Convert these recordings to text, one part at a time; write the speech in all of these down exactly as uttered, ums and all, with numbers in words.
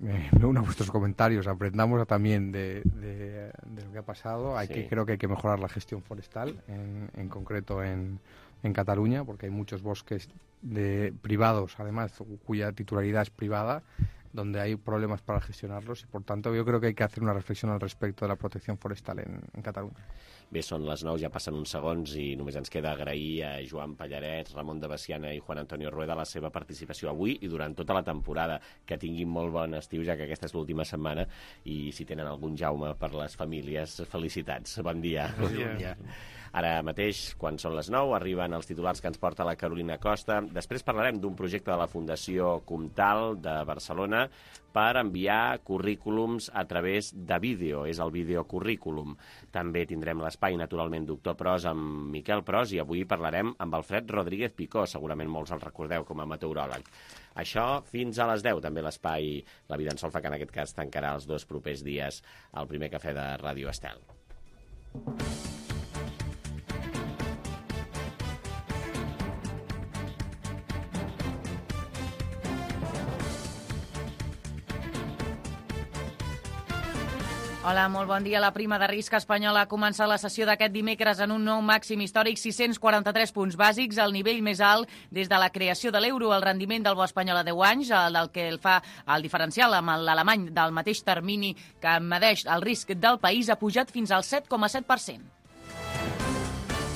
me, me uno a vuestros comentarios, aprendamos también de, de, de lo que ha pasado. Hay Sí. que, creo que hay que mejorar la gestión forestal, en, en concreto en, en Cataluña, porque hay muchos bosques de privados, además, cuya titularidad es privada, donde hay problemas para gestionarlos, y por tanto yo creo que hay que hacer una reflexión al respecto de la protección forestal en, en Cataluña. Bé, són les nou, ja passen uns segons i només ens queda agrair a Joan Pallaret, Ramon de Besiana i Juan Antonio Rueda la seva participació avui i durant tota la temporada. Que tinguin molt bon estiu, ja que aquesta és l'última setmana, i si tenen algun Jaume per les famílies, felicitats. Bon dia. Bon dia. Ara mateix, quan són les nou, arriben els titulars que ens porta la Carolina Costa. Després parlarem d'un projecte de la Fundació Comtal de Barcelona per enviar currículums a través de vídeo. És el videocurrículum. També tindrem l'espai, naturalment, Doctor Pros amb Miquel Pros, i avui parlarem amb Alfred Rodríguez Picó. Segurament molts el recordeu com a meteoròleg. Això fins a les deu, també l'espai La Vida en Solfa, que en aquest cas tancarà els dos propers dies el primer cafè de Ràdio Estel. Hola, molt bon dia. La prima de risc espanyola ha començat la sessió d'aquest dimecres en un nou màxim històric, sis cents quaranta-tres punts bàsics, el nivell més alt des de la creació de l'euro. El rendiment del bo espanyol a deu anys, el del que el fa el diferencial amb l'alemany del mateix termini que medeix el risc del país, ha pujat fins al set coma set per cent.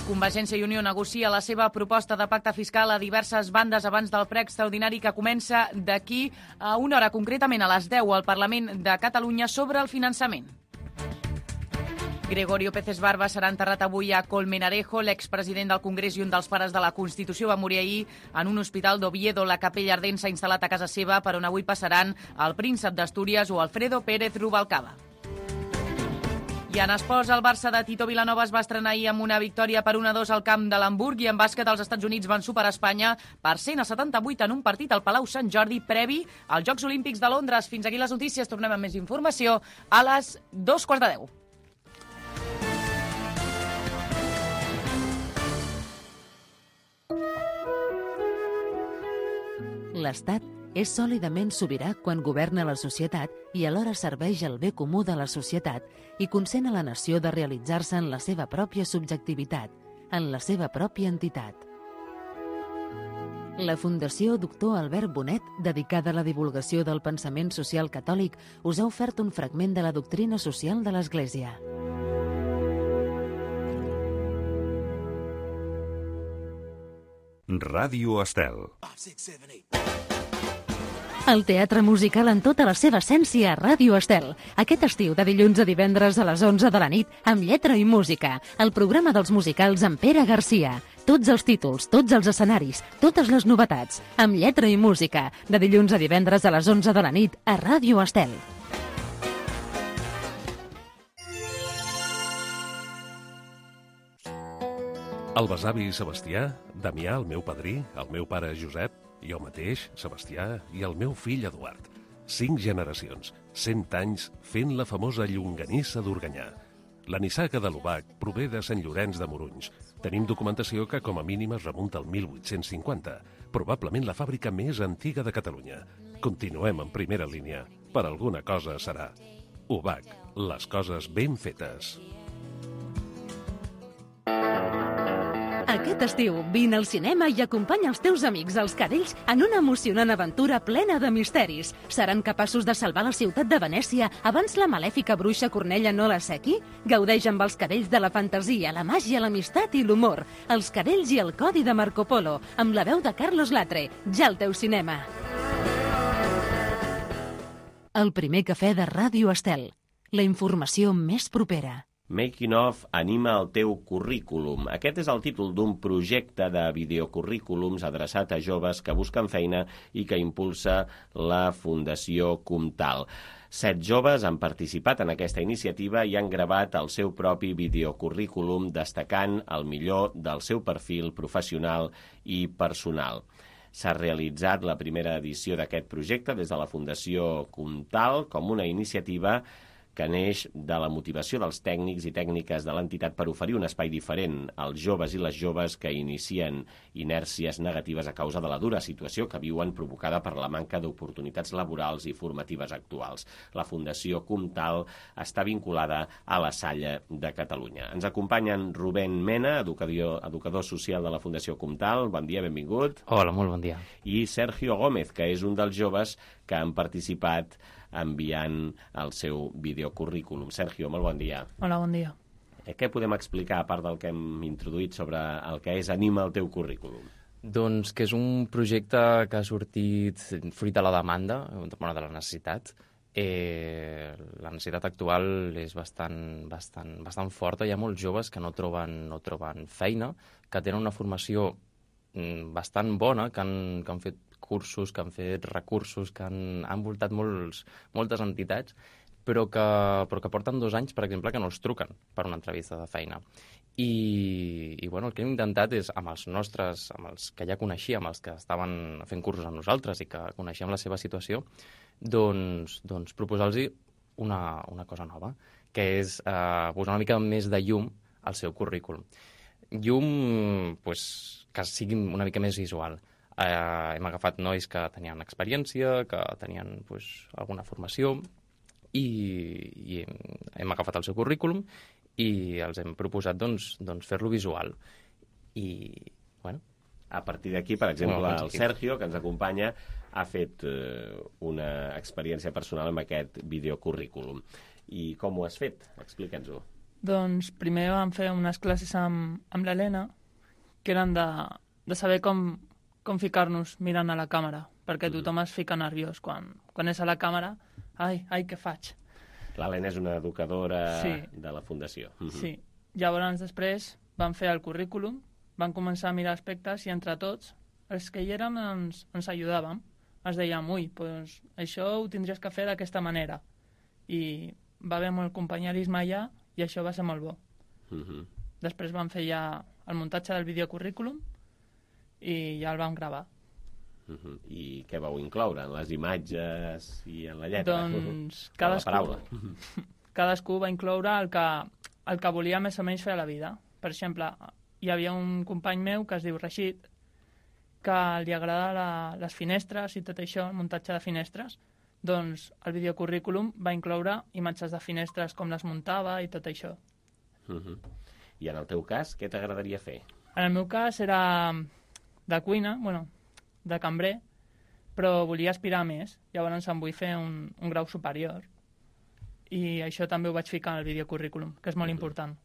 Convergència i Unió negocia la seva proposta de pacte fiscal a diverses bandes abans del ple extraordinari que comença d'aquí a una hora, concretament a les deu, al Parlament de Catalunya, sobre el finançament. Gregorio Peces Barba serà enterrat avui a Colmenarejo. L'expresident del Congrés i un dels pares de la Constitució va morir ahir en un hospital d'Oviedo. La capella ardent s'ha instal·lat a casa seva, per on avui passaran el príncep d'Astúries o Alfredo Pérez Rubalcaba. I en esports, el Barça de Tito Vilanova es va estrenar ahir amb una victòria per un a dos al camp de l'Hamburg, i en bàsquet els Estats Units van superar Espanya per cent a setanta-vuit en un partit al Palau Sant Jordi previ als Jocs Olímpics de Londres. Fins aquí les notícies. Tornem amb més informació a les dos quarts de deu. L'Estat és sòlidament sobirà quan governa la societat i alhora serveix el bé comú de la societat i consent a la nació de realitzar-se en la seva pròpia subjectivitat, en la seva pròpia entitat. La Fundació Doctor Albert Bonet, dedicada a la divulgació del pensament social catòlic, us ha ofert un fragment de la doctrina social de l'Església. Ràdio Estel. El teatre musical en tota la seva essència a Ràdio Estel. Aquest estiu, de dilluns a divendres a les onze de la nit, amb lletra i música. El programa dels musicals amb Pere Garcia. Tots els títols, tots els escenaris, totes les novetats. Amb lletra i música. De dilluns a divendres a les onze de la nit a Ràdio Estel. El besavi Sebastià, Damià, el meu padrí, el meu pare Josep, jo mateix, Sebastià, i el meu fill Eduard. Cinc generacions, cent anys, fent la famosa llonganissa d'Organyà. La nissaga de l'Obac prové de Sant Llorenç de Morunys. Tenim documentació que com a mínim es remunta al mil vuit-cents cinquanta, probablement la fàbrica més antiga de Catalunya. Continuem en primera línia. Per alguna cosa serà. Obac, les coses ben fetes. Aquest estiu, vine al cinema i acompanya els teus amics, els cadells, en una emocionant aventura plena de misteris. Seran capaços de salvar la ciutat de Venècia abans la malèfica bruixa Cornella no la sequi? Gaudeix amb els cadells de la fantasia, la màgia, l'amistat i l'humor. Els cadells i el codi de Marco Polo, amb la veu de Carlos Latre. Ja al teu cinema. El primer cafè de Ràdio Estel. La informació més propera. Making of anima el teu currículum. Aquest és el títol d'un projecte de videocurrículums adreçat a joves que busquen feina i que impulsa la Fundació Comtal. Set joves han participat en aquesta iniciativa i han gravat el seu propi videocurrículum destacant el millor del seu perfil professional i personal. S'ha realitzat la primera edició d'aquest projecte des de la Fundació Comtal com una iniciativa que neix de la motivació dels tècnics i tècniques de l'entitat per oferir un espai diferent als joves i les joves que inicien inèrcies negatives a causa de la dura situació que viuen provocada per la manca d'oportunitats laborals i formatives actuals. La Fundació Comtal està vinculada a la Salle de Catalunya. Ens acompanyen Rubén Mena, educador, educador social de la Fundació Comtal. Bon dia, benvingut. Hola, molt bon dia. I Sergio Gómez, que és un dels joves que han participat enviant el seu videocurrículum. Sergio, molt bon dia. Hola, bon dia. Què podem explicar, a part del que hem introduït sobre el que és Anima el teu currículum? Doncs que és un projecte que ha sortit fruit de la demanda, bueno, de la necessitat. Eh, la necessitat actual és bastant, bastant, bastant forta. Hi ha molts joves que no troben, no troben feina, que tenen una formació bastant bona, que han, que han fet cursos, que han fet recursos, que han, han voltat molts, moltes entitats, però que, però que porten dos anys, per exemple, que no els truquen per una entrevista de feina. I, i bueno, el que hem intentat és, amb els nostres, amb els que ja coneixíem, els que estaven fent cursos amb nosaltres i que coneixíem la seva situació, doncs, doncs proposar-los una, una cosa nova, que és eh, posar una mica més de llum al seu currículum. Llum, pues, que sigui una mica més visual. Eh, hem agafat nois que tenien experiència, que tenien pues, alguna formació, i, i hem agafat el seu currículum i els hem proposat doncs, doncs, fer-lo visual. I, bueno... A partir d'aquí, per exemple, bueno, el Sergio, que ens acompanya, ha fet eh, una experiència personal amb aquest videocurrículum. I com ho has fet? Explica'ns-ho. Doncs primer vam fer unes classes amb, amb l'Helena, que eren de, de saber com, com ficar-nos mirant a la càmera, perquè tothom es fica nerviós quan, quan és a la càmera. Ai, ai, què faig? L'Helena és una educadora sí. de la Fundació. Sí. Llavors, després, vam fer el currículum, vam començar a mirar aspectes i entre tots, els que hi érem, ens, ens ajudàvem. Ens dèiem, ui, doncs, això ho tindries que fer d'aquesta manera. I va haver molt companyerisme allà i això va ser molt bo. Uh -huh. Després vam fer ja el muntatge del videocurrículum i ja el vam gravar. Uh -huh. I què vau incloure en les imatges i en la lletra? Doncs cadascú, la paraula. cadascú va incloure el que, el que volia més o menys fer a la vida. Per exemple, hi havia un company meu que es diu Rashid, que li agrada la, les finestres i tot això, el muntatge de finestres. Doncs el videocurrículum va incloure imatges de finestres, com les muntava i tot això. Uh -huh. I en el teu cas, què t'agradaria fer? En el meu cas era de cuina, bueno, de cambrer, però volia aspirar més. Llavors em vull fer un, un grau superior. I això també ho vaig ficar en el videocurrículum, que és molt uh -huh. important.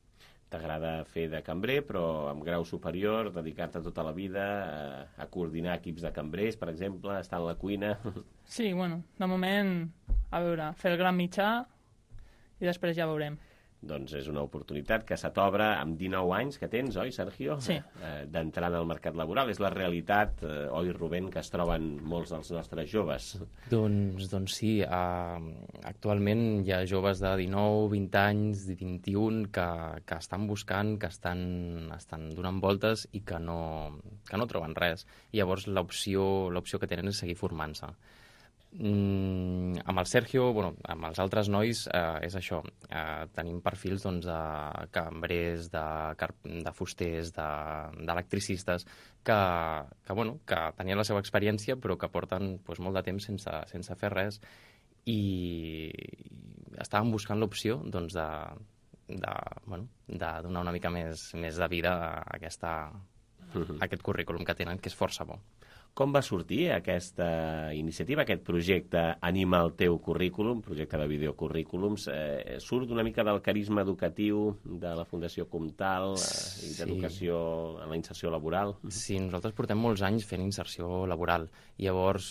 T'agrada fer de cambrer, però amb grau superior, dedicar-te tota la vida a, a coordinar equips de cambrers, per exemple, estar en la cuina... Sí, bueno, de moment, a veure, fer el gran mitjà i després ja veurem. Doncs és una oportunitat que se t'obre amb dinou anys que tens, oi, Sergio? Sí. Eh, d'entrar en el mercat laboral. És la realitat, eh, oi, Rubén, que es troben molts dels nostres joves. Doncs, doncs sí, uh, actualment hi ha joves de dinou, vint anys, vint-i-un, que, que estan buscant, que estan, estan donant voltes i que no, que no troben res. I llavors l'opció l'opció que tenen és seguir formant-se. Mm, amb el Sergio, bueno, amb els altres nois, eh, és això. Eh, tenim perfils doncs, de cambrers, de, de fusters, d'electricistes, de, que, que, bueno, que tenien la seva experiència, però que porten doncs, molt de temps sense, sense fer res i, i estàvem buscant l'opció doncs, de, de, bueno, de donar una mica més, més de vida a, aquesta, a aquest currículum que tenen, que és força bo. Com va sortir aquesta iniciativa, aquest projecte Anima el teu currículum, projecte de videocurrículums? Eh, surt una mica del carisma educatiu de la Fundació Comtal eh, i d'educació sí. en la inserció laboral? Sí, nosaltres portem molts anys fent inserció laboral. Llavors,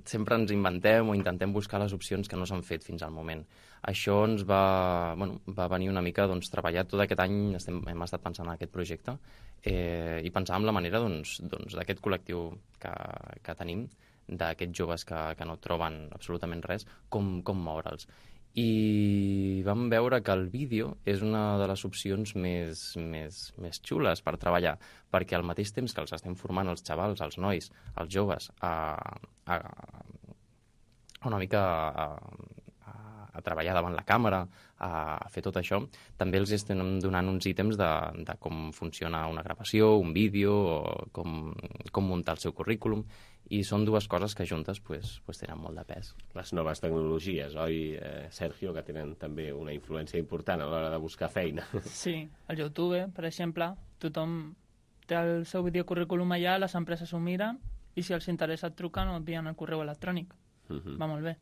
sempre ens inventem o intentem buscar les opcions que no s'han fet fins al moment. Això ens va, bueno, va venir una mica doncs, treballar tot aquest any, estem, hem estat pensant en aquest projecte eh, i pensàvem la manera doncs, doncs, d'aquest col·lectiu que, que tenim, d'aquests joves que, que no troben absolutament res, com, com moure'ls. I vam veure que el vídeo és una de les opcions més, més, més xules per treballar, perquè al mateix temps que els estem formant els xavals, els nois, els joves, a, a, a una mica a, a, a treballar davant la càmera, a, a fer tot això, també els estem donant uns ítems de, de com funciona una gravació, un vídeo, o com, com muntar el seu currículum, i són dues coses que juntes pues, pues tenen molt de pes. Les noves tecnologies, oi, eh, Sergio, que tenen també una influència important a l'hora de buscar feina. Sí, el YouTube, per exemple, tothom té el seu videocurrículum allà, les empreses ho miren, i si els interessa et truquen o et envien el correu electrònic. Uh-huh. Va molt bé.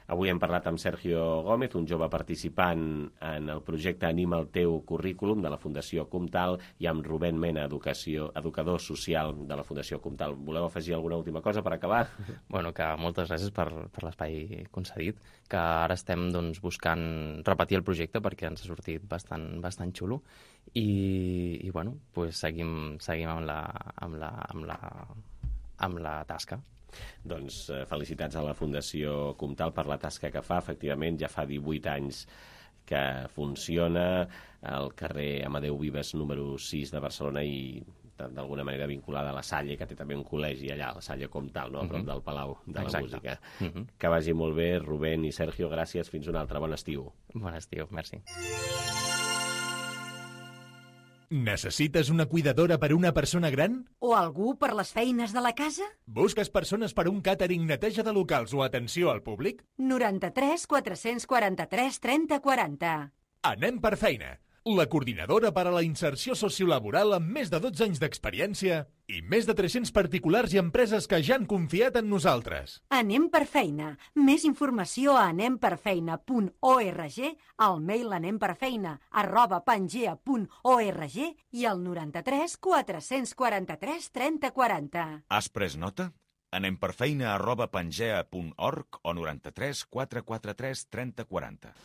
Avui hem parlat amb Sergio Gómez, un jove participant en el projecte Anima el teu currículum de la Fundació Comtal, i amb Rubén Mena, educació, educador social de la Fundació Comtal. Voleu afegir alguna última cosa per acabar? Bueno, que moltes gràcies per, per l'espai concedit, que ara estem doncs, buscant repetir el projecte perquè ens ha sortit bastant, bastant xulo, i, i bueno, pues seguim, seguim amb la, amb la, amb la, amb la tasca. Doncs eh, felicitats a la Fundació Comtal per la tasca que fa. Efectivament, ja fa divuit anys que funciona al carrer Amadeu Vives número sis de Barcelona, i d'alguna manera vinculada a la Salle, que té també un col·legi allà, la Salle Comtal, no? A prop del Palau de la Exacte. Música. Uh-huh. Que vagi molt bé, Rubén i Sergio, gràcies. Fins un altre. Bon estiu. Bon estiu, merci. Necessites una cuidadora per una persona gran? O algú per les feines de la casa? Busques persones per un càtering, neteja de locals o atenció al públic? noranta-tres quatre-cents quaranta-tres trenta quaranta. Anem per feina. La coordinadora per a la inserció sociolaboral amb més de dotze anys d'experiència i més de tres-cents particulars i empreses que ja han confiat en nosaltres. Anem per feina. Més informació a anem per feina punt org, al mail anemperfeina arroba pangea punt org i al noranta-tres quatre-cents quaranta-tres trenta quaranta. Has pres nota? Anem per feina arroba pangea punt org o noranta-tres quatre-cents quaranta-tres trenta quaranta.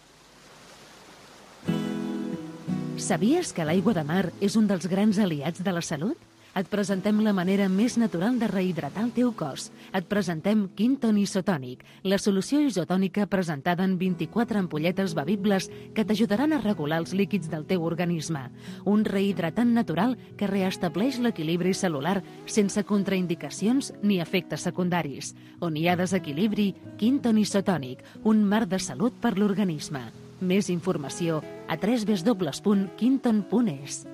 Sabies que l'aigua de mar és un dels grans aliats de la salut? Et presentem la manera més natural de rehidratar el teu cos. Et presentem Quinton Isotònic, la solució isotònica presentada en vint-i-quatre ampolletes bevibles que t'ajudaran a regular els líquids del teu organisme. Un rehidratant natural que reestableix l'equilibri celular sense contraindicacions ni efectes secundaris. On hi ha desequilibri, Quinton Isotònic, un mar de salut per l'organisme. Més informació a w w w punt quinton punt es.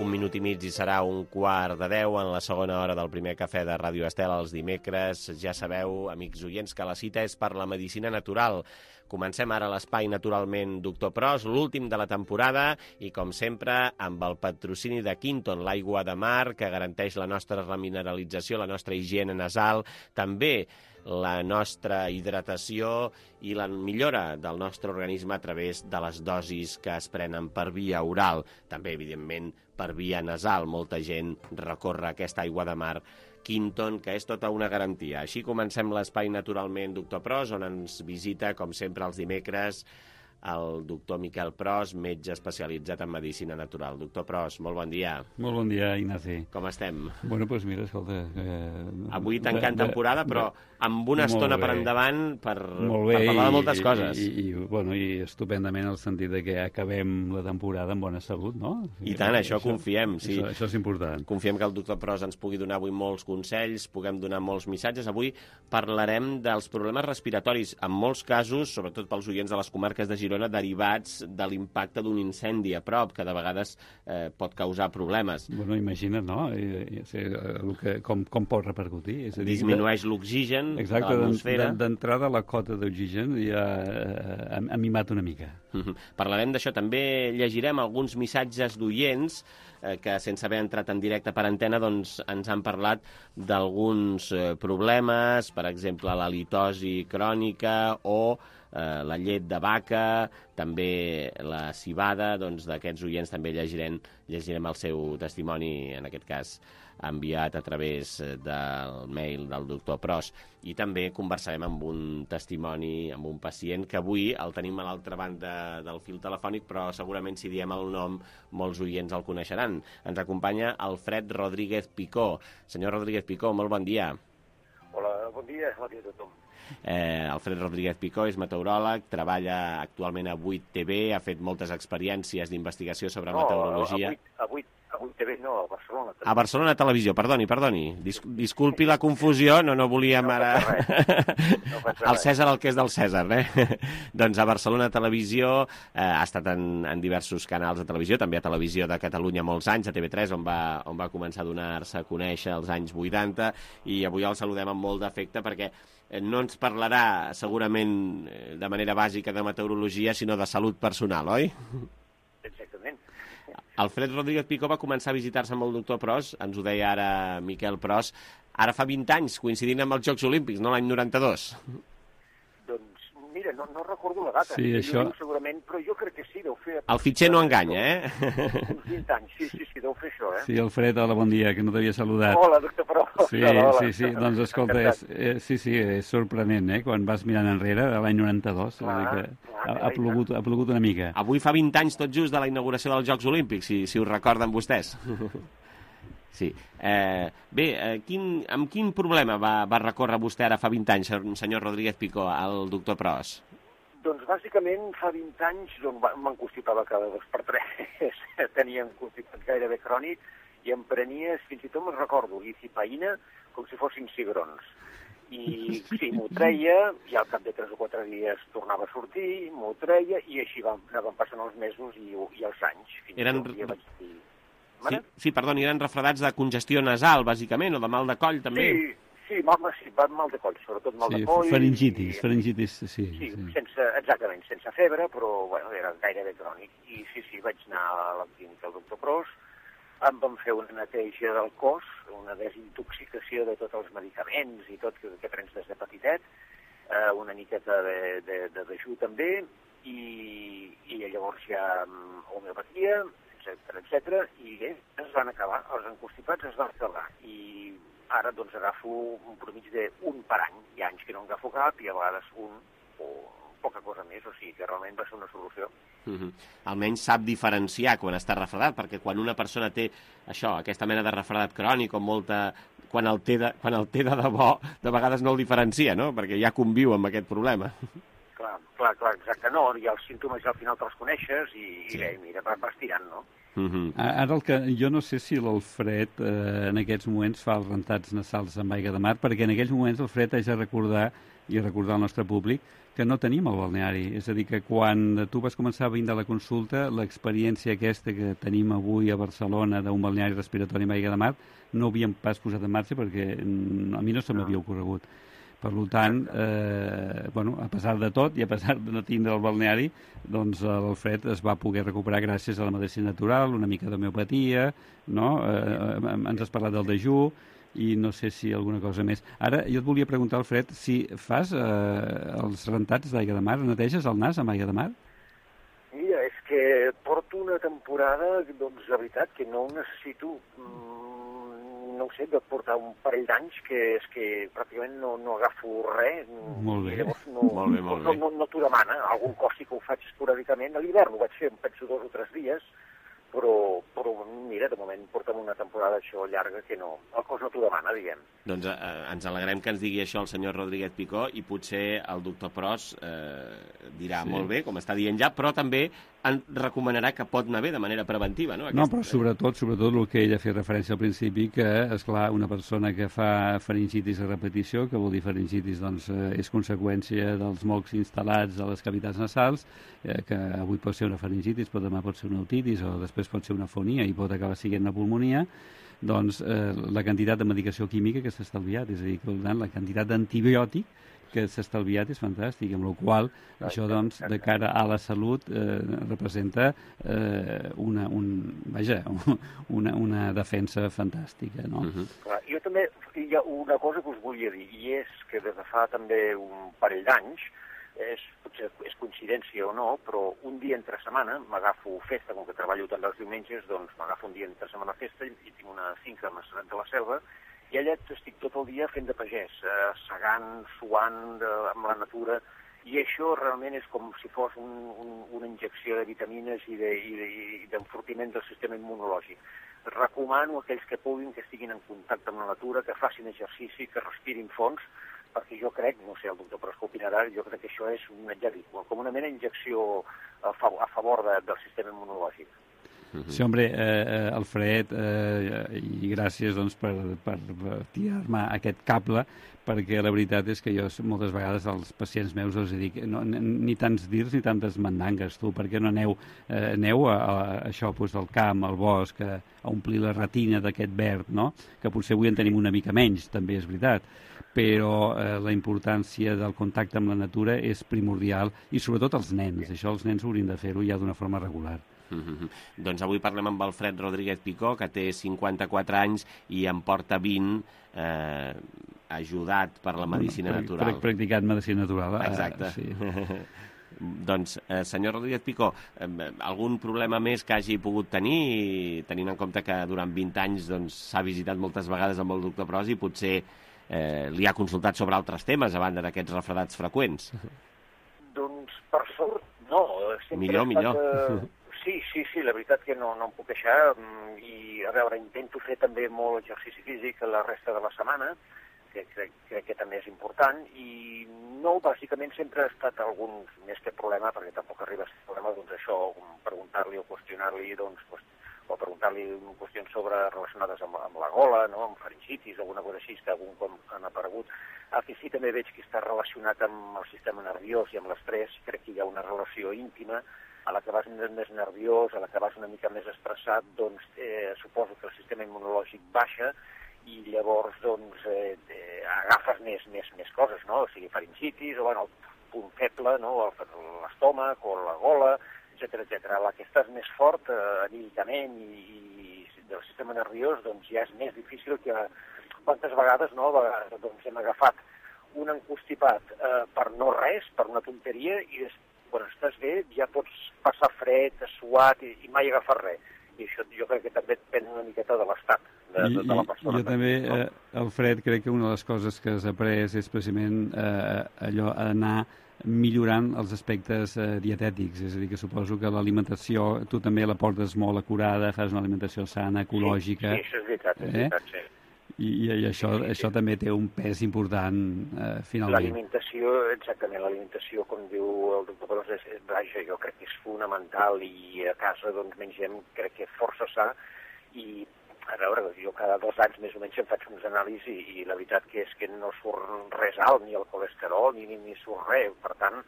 Un minut i mig i serà un quart de deu en la segona hora del primer cafè de Ràdio Estel els dimecres. Ja sabeu, amics oients, que la cita és per la medicina natural. Comencem ara l'espai Naturalment Doctor Pros, l'últim de la temporada, i com sempre amb el patrocini de Quinton, l'aigua de mar que garanteix la nostra remineralització, la nostra higiene nasal, també la nostra hidratació i la millora del nostre organisme a través de les dosis que es prenen per via oral. També, evidentment, per via nasal. Molta gent recorre aquesta aigua de mar Quinton, que és tota una garantia. Així comencem l'espai Naturalment Doctor Pros, on ens visita, com sempre, els dimecres, el doctor Miquel Pros, metge especialitzat en medicina natural. Doctor Pros, molt bon dia. Molt bon dia, Ignasi. Com estem? Bueno, doncs mira, escolta... Eh, Avui tancant temporada, però amb una estona per endavant per, bé, per parlar de moltes i, coses. I, i, bueno, i estupendament en el sentit de que acabem la temporada amb bona salut, no? I tant, això, això confiem. Sí. Això, això és important. Confiem que el doctor Pros ens pugui donar avui molts consells, puguem donar molts missatges. Avui parlarem dels problemes respiratoris, en molts casos, sobretot pels oients de les comarques de Girona, derivats de l'impacte d'un incendi a prop, que de vegades eh, pot causar problemes. Bueno, imagina't, no? I, i, el que, com, com pot repercutir. És a dir, disminueix l'oxigen exacte, de l'atmosfera. D'entrada la cota d'oxigen ja ha, ha mimat una mica. Uh-huh. Parlarem d'això. També llegirem alguns missatges d'oients eh, que, sense haver entrat en directe per antena, doncs, ens han parlat d'alguns eh, problemes, per exemple, la litosi crònica o eh, la llet de vaca, també la civada. Doncs d'aquests oients també llegirem, llegirem el seu testimoni, en aquest cas enviat a través del mail del doctor Pros. I també conversarem amb un testimoni, amb un pacient, que avui el tenim a l'altra banda del fil telefònic, però segurament si diem el nom molts oients el coneixeran. Ens acompanya Alfred Rodríguez Picó. Senyor Rodríguez Picó, molt bon dia. Hola, bon dia, bon dia a tothom. Eh, Alfred Rodríguez Picó és meteoròleg, treballa actualment a vuit T V, ha fet moltes experiències d'investigació sobre no, meteorologia. A vuit T V no, a Barcelona. A Barcelona Televisió, perdoni, perdoni. Dis disculpi la confusió, no, no volíem no ara... No el Cèsar el que és del Cèsar, eh? Doncs a Barcelona Televisió, eh, ha estat en, en diversos canals de televisió, també a Televisió de Catalunya molts anys, a T V tres, on va, on va començar a donar-se a conèixer als anys vuitanta, i avui el saludem amb molt d'afecte perquè no ens parlarà segurament de manera bàsica de meteorologia, sinó de salut personal, oi? Exactament. Alfred Rodríguez Picó va començar a visitar-se amb el doctor Pros, ens ho deia ara Miquel Pros, ara fa vint anys, coincidint amb els Jocs Olímpics, no l'any noranta-dos. Doncs, mira, no, no recordo la data. Sí, això... Jo, segurament, però jo crec que sí, deu fer... El fitxer no enganya, eh? Uns vint anys, sí, sí, sí, deu fer això, eh? Sí, Alfred, hola, bon dia, que no t'havia saludat. Hola, doctor Pros. Sí, hola, hola. sí, sí, doncs escolta, és, eh, sí, sí, és sorprenent, eh? Quan vas mirant enrere, de l'any noranta-dos, clar, que clar, ha, ha, plogut, ha plogut una mica. Avui fa vint anys tot just de la inauguració dels Jocs Olímpics, si, si ho recorden vostès. Sí. Eh, bé, eh, quin, amb quin problema va, va recórrer vostè ara fa vint anys, senyor Rodríguez Picó, al doctor Pros? Doncs bàsicament fa vint anys m'encostipava cada dos per tres, tenia un constipat gairebé crònic i em prenia, fins i tot me'n recordo, licipaïna com si fossin cigrons. I sí, m'ho treia, i al cap de tres o quatre dies tornava a sortir, m'ho treia, i així van, anaven passant els mesos i, i els anys. Fins Eren... que vaig dir... Sí, sí, perdoni, eren refredats de congestió nasal, bàsicament, o de mal de coll, també? Sí, sí, mal, sí mal de coll, sobretot mal sí, de coll. Faringitis, i... faringitis, sí. Sí, sí. Sense, exactament, sense febre, però bueno, era gairebé crònic. I sí, sí, vaig anar a la clínica del doctor Pros, em van fer una neteja del cos, una desintoxicació de tots els medicaments i tot que, que prens des de petitet, eh, una miqueta de, de, de dejú també, i, i llavors ja homeopatia, etcètera, etcètera, i bé, es van acabar, els encostipats es van acabar, i ara doncs agafo un promig d'un per any, hi ha anys que no en agafo cap, i a vegades un o poca cosa més, o sigui que realment va ser una solució. Uh-huh. Almenys sap diferenciar quan està refredat, perquè quan una persona té això, aquesta mena de refredat crònic o molta... Quan el, té de, quan el té de debò, de vegades no el diferencia, no? Perquè ja conviu amb aquest problema. Clar, clar, clar, exacte. No, i els símptomes al final te'ls coneixes i, sí. i bé, mira, vas tirant, no? Uh-huh. Ara el que... Jo no sé si l'Alfred eh, en aquests moments fa els rentats nasals amb aigua de mar, perquè en aquells moments l'Alfred haig de recordar i recordar al nostre públic que no tenim el balneari. És a dir, que quan tu vas començar a vindre a la consulta, l'experiència aquesta que tenim avui a Barcelona d'un balneari respiratori amb aigua de mar no havíem pas posat en marxa perquè a mi no se m'havia ocorregut. Per tant, eh, bueno, a pesar de tot i a pesar de no tindre el balneari, doncs l'Alfred es va poder recuperar gràcies a la medicina natural, una mica d'homeopatia, no? Eh, ens has parlat del dejú, i no sé si alguna cosa més. Ara, jo et volia preguntar, Alfred, si fas eh, els rentats d'aigua de mar, neteges el nas amb aigua de mar? Mira, és que porto una temporada, doncs, de veritat, que no ho necessito. Mm, no ho sé, de portar un parell d'anys que és que pràcticament no, no agafo res. Molt bé. Llavors no, molt bé, molt bé. No, no, no t'ho demana. Algun cos sí que ho faig esporàdicament. A l'hivern ho vaig fer, em penso, dos o tres dies, però, però mira, de moment portem una temporada això llarga que no, el cos no t'ho demana, diguem. Doncs eh, ens alegrem que ens digui això el senyor Rodríguez Picó i potser el doctor Pros eh, dirà sí. molt bé, com està dient ja, però també en recomanarà que pot anar bé de manera preventiva, no? Aquesta... No, però sobretot, sobretot el que ella ha fet referència al principi, que, esclar, una persona que fa faringitis a repetició, que vol dir faringitis, doncs, eh, és conseqüència dels mocs instal·lats a les cavitats nasals, eh, que avui pot ser una faringitis, però demà pot ser una otitis, o després pot ser una fonia i pot acabar sent una pulmonia, doncs eh, la quantitat de medicació química que s'ha estalviat, és a dir, que la quantitat d'antibiòtic que s'ha estalviat és fantàstic, amb la qual cosa això, doncs, de cara a la salut eh, representa eh, una, un, vaja, una, una defensa fantàstica, no? Uh-huh. Clar, jo també hi ha una cosa que us volia dir, i és que des de fa també un parell d'anys, és, potser és coincidència o no, però un dia entre setmana m'agafo festa, com que treballo tant els diumenges, doncs m'agafo un dia entre setmana festa i tinc una finca a Maçanet de la Selva, i allà estic tot el dia fent de pagès, eh, segant, suant eh, amb la natura, i això realment és com si fos un, un, una injecció de vitamines i d'enfortiment de, del sistema immunològic. Recomano a aquells que puguin que estiguin en contacte amb la natura, que facin exercici, que respirin fons, perquè jo crec, no sé, el doctor Pros que opinarà, jo crec que això és una, ja dic, com una mena d'injecció a, fa, a favor de, del sistema immunològic. Sí, home, eh, Alfred, eh, i gràcies doncs, per, per tirar-me aquest cable, perquè la veritat és que jo moltes vegades als pacients meus els dic no, ni tants dirs ni tantes mandangues, tu, perquè no aneu, eh, aneu a, a, a això, doncs, al camp, al bosc, a, a omplir la retina d'aquest verd, no? Que potser avui en tenim una mica menys, també és veritat, però eh, la importància del contacte amb la natura és primordial, i sobretot els nens, això els nens haurien de fer-ho ja d'una forma regular. Mm-hmm. Doncs avui parlem amb Alfred Rodríguez Picó, que té cinquanta-quatre anys i en porta vint, eh, ajudat per la medicina bueno, natural. Practicat medicina natural. Eh? Exacte. Sí. Doncs, eh, senyor Rodríguez Picó, eh, algun problema més que hagi pogut tenir, tenint en compte que durant vint anys doncs, s'ha visitat moltes vegades amb el doctor Pros i potser eh, li ha consultat sobre altres temes a banda d'aquests refredats freqüents? Doncs, per sort, no. Millor, millor. Eh... Sí, sí, sí, la veritat que no, no em puc queixar, i a veure, intento fer també molt exercici físic la resta de la setmana, que crec, crec que també és important, i no, bàsicament sempre ha estat algun més que problema, perquè tampoc arriba a ser problema, doncs això, preguntar-li o qüestionar-li, doncs, o preguntar-li qüestions sobre relacionades amb, amb la gola, no?, amb faringitis, alguna cosa així, que algun com han aparegut. El que sí també veig que està relacionat amb el sistema nerviós i amb l'estrès, crec que hi ha una relació íntima. A la que vas més nerviós, a la que vas una mica més estressat, doncs eh, suposo que el sistema immunològic baixa i llavors doncs eh, eh, agafes més, més, més coses, no? O sigui, faringitis, o bueno, el punt feble, no? L'estómac o la gola, etcètera, etcètera. A la que estàs més fort eh, anímicament i, i del sistema nerviós, doncs ja és més difícil que quantes vegades, no? Vegades, doncs hem agafat un encostipat eh, per no res, per una tonteria, i després quan estàs bé ja pots passar fred, suat i, i mai agafar res. I això jo crec que també depèn una miqueta de l'estat de, de, de la persona. Jo també, eh, Alfred, crec que una de les coses que has après és precisament eh, allò, anar millorant els aspectes eh, dietètics, és a dir, que suposo que l'alimentació tu també la portes molt acurada, fas una alimentació sana, ecològica. Sí, sí, això és veritat, és veritat, sí. I, i això, sí, sí, això sí. també té un pes important, eh, finalment. L'alimentació, exactament, l'alimentació, com diu el doctor Pros, és, vaja, jo crec que és fonamental, i a casa doncs mengem, crec que força sa, i a veure, jo cada dos anys més o menys em faig uns anàlisis i, i la veritat que és que no surt res alt, ni el colesterol, ni, ni, ni surt res, per tant,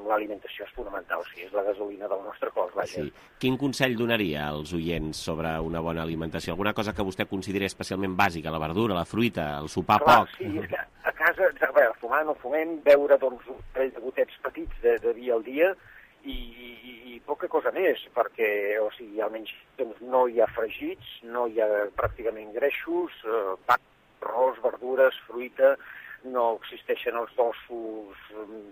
l'alimentació és fonamental, sí, és la gasolina del nostre cos, vaja. Sí. Quin consell donaria als oients sobre una bona alimentació? Alguna cosa que vostè consideri especialment bàsica, la verdura, la fruita, el sopar Clar, poc? Sí, és que a casa, a veure, fumar no fumem, beure doncs un parell de gotets petits de, de vi al dia i, i, i poca cosa més, perquè, o sigui, almenys doncs, no hi ha fregits, no hi ha pràcticament greixos, eh, pa, arròs, verdures, fruita, no existeixen els dolços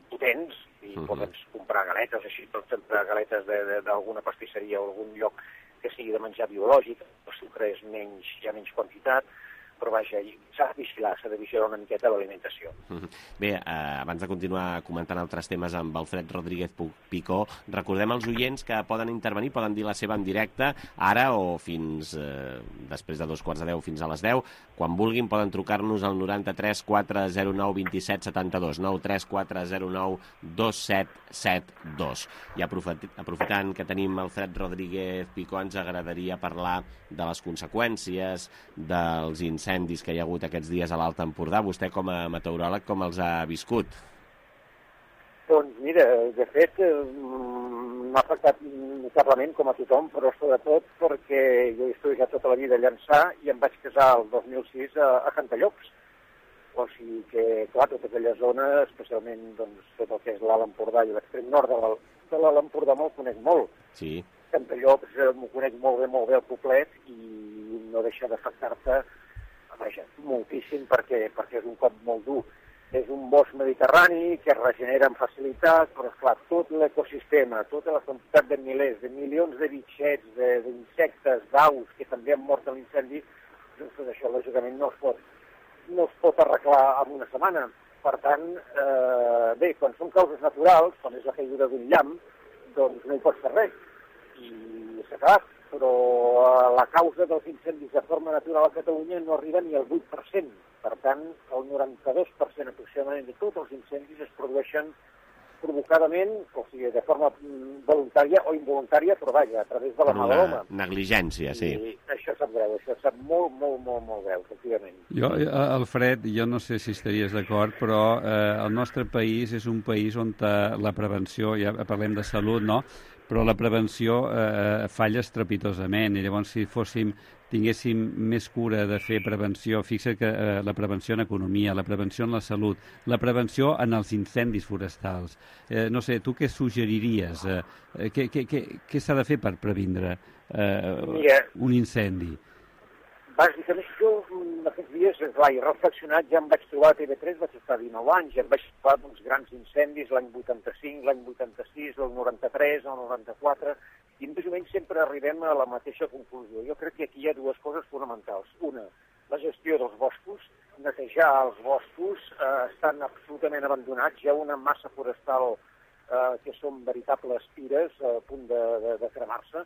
potents, i uh-huh. podem comprar galetes, així, per exemple, galetes d'alguna pastisseria o algun lloc que sigui de menjar biològic, el sucre és menys, hi ha menys quantitat, però vaja, s'ha de vigilar, s'ha de vigilar una miqueta l'alimentació. Bé, eh, abans de continuar comentant altres temes amb Alfred Rodríguez Picó, recordem als oients que poden intervenir, poden dir la seva en directe, ara o fins eh, després de dos quarts de deu fins a les deu. Quan vulguin poden trucar-nos al noranta-tres quatre zero nou vint-i-set setanta-dos, nou tres quatre zero nou dos set set dos. I aprofitant que tenim Alfred Rodríguez Picó, ens agradaria parlar de les conseqüències dels incendis que hi ha hagut aquests dies a l'Alt Empordà. Vostè, com a meteoròleg, com els ha viscut? Doncs mira, de fet, m'ha afectat notablement com a tothom, però sobretot perquè jo he estudiat tota la vida a Llançà i em vaig casar el dos mil sis a, a Cantallops. O sigui que, clar, tota aquella zona, especialment doncs, tot el que és l'Alt Empordà i l'extrem nord de l'Alt Empordà me'l conec molt. Sí. Cantallops m'ho conec molt bé, molt bé el poblet i no deixa d'afectar-te, vaja, moltíssim perquè, perquè és un cop molt dur. És un bosc mediterrani que es regenera amb facilitat, però esclar, tot l'ecosistema, tota la quantitat de milers, de milions de bitxets, d'insectes, d'aus que també han mort en l'incendi, doncs tot això lògicament no es pot, no es pot arreglar en una setmana. Per tant, eh, bé, quan són causes naturals, quan és la caiguda d'un llamp, doncs no hi pots fer res. I s'ha acabat, però la causa dels incendis de forma natural a Catalunya no arriba ni al vuit per cent. Per tant, el noranta-dos per cent aproximadament de tots els incendis es produeixen provocadament, o sigui, de forma voluntària o involuntària, però vaja, a través de la mà de l'home. Negligència, sí. I això sap greu, això sap molt, molt, molt, molt greu, efectivament. Jo, Alfred, jo no sé si estaries d'acord, però eh, el nostre país és un país on la prevenció, ja parlem de salut, no?, però la prevenció eh, falla estrepitosament, i llavors si fóssim, tinguéssim més cura de fer prevenció, fixa't que eh, la prevenció en economia, la prevenció en la salut, la prevenció en els incendis forestals. Eh, no sé, tu què suggeriries? Eh, què què, què, què s'ha de fer per previndre eh, Mira, un incendi? Bàsicament, jo aquests dies, clar, he reflexionat, ja em vaig trobar a T V tres, vaig estar dinou anys, ja em vaig trobar uns grans incendis l'any vuitanta-cinc, l'any vuitanta-sis, el noranta-tres, el noranta-quatre, i més o menys sempre arribem a la mateixa conclusió. Jo crec que aquí hi ha dues coses fonamentals. Una, la gestió dels boscos, netejar els boscos, eh, estan absolutament abandonats, hi ha una massa forestal eh, que són veritables pires a punt de, de, de cremar-se,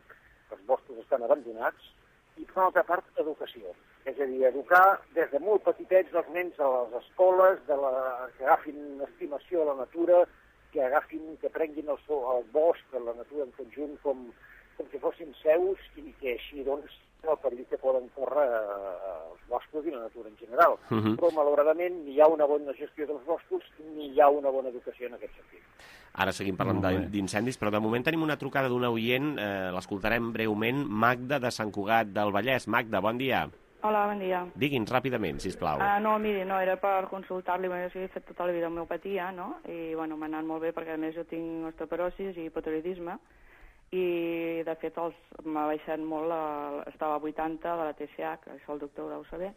els boscos estan abandonats, i per una altra part, educació. És a dir, educar des de molt petitets els nens a les escoles, de la, que agafin estimació a la natura, que agafin, que prenguin el, el bosc, la natura en conjunt, com, com si fossin seus, i que així, doncs, el perill que poden córrer els boscos i la natura en general. Uh -huh. Però, malauradament, ni hi ha una bona gestió dels boscos, ni hi ha una bona educació en aquest sentit. Ara seguim parlant d'incendis, però de moment tenim una trucada d'una oient, eh, l'escoltarem breument, Magda, de Sant Cugat del Vallès. Magda, bon dia. Hola, bon dia. Digui'ns ràpidament, sisplau. Uh, no, miri, no, era per consultar-li, perquè jo he fet tota la vida homeopatia, no?, i, bueno, m'ha anat molt bé, perquè a més jo tinc osteoporosis i hipotiroidisme, i, de fet, m'ha baixat molt, la, estava a vuitanta de la T S H, això el doctor ho deu saber,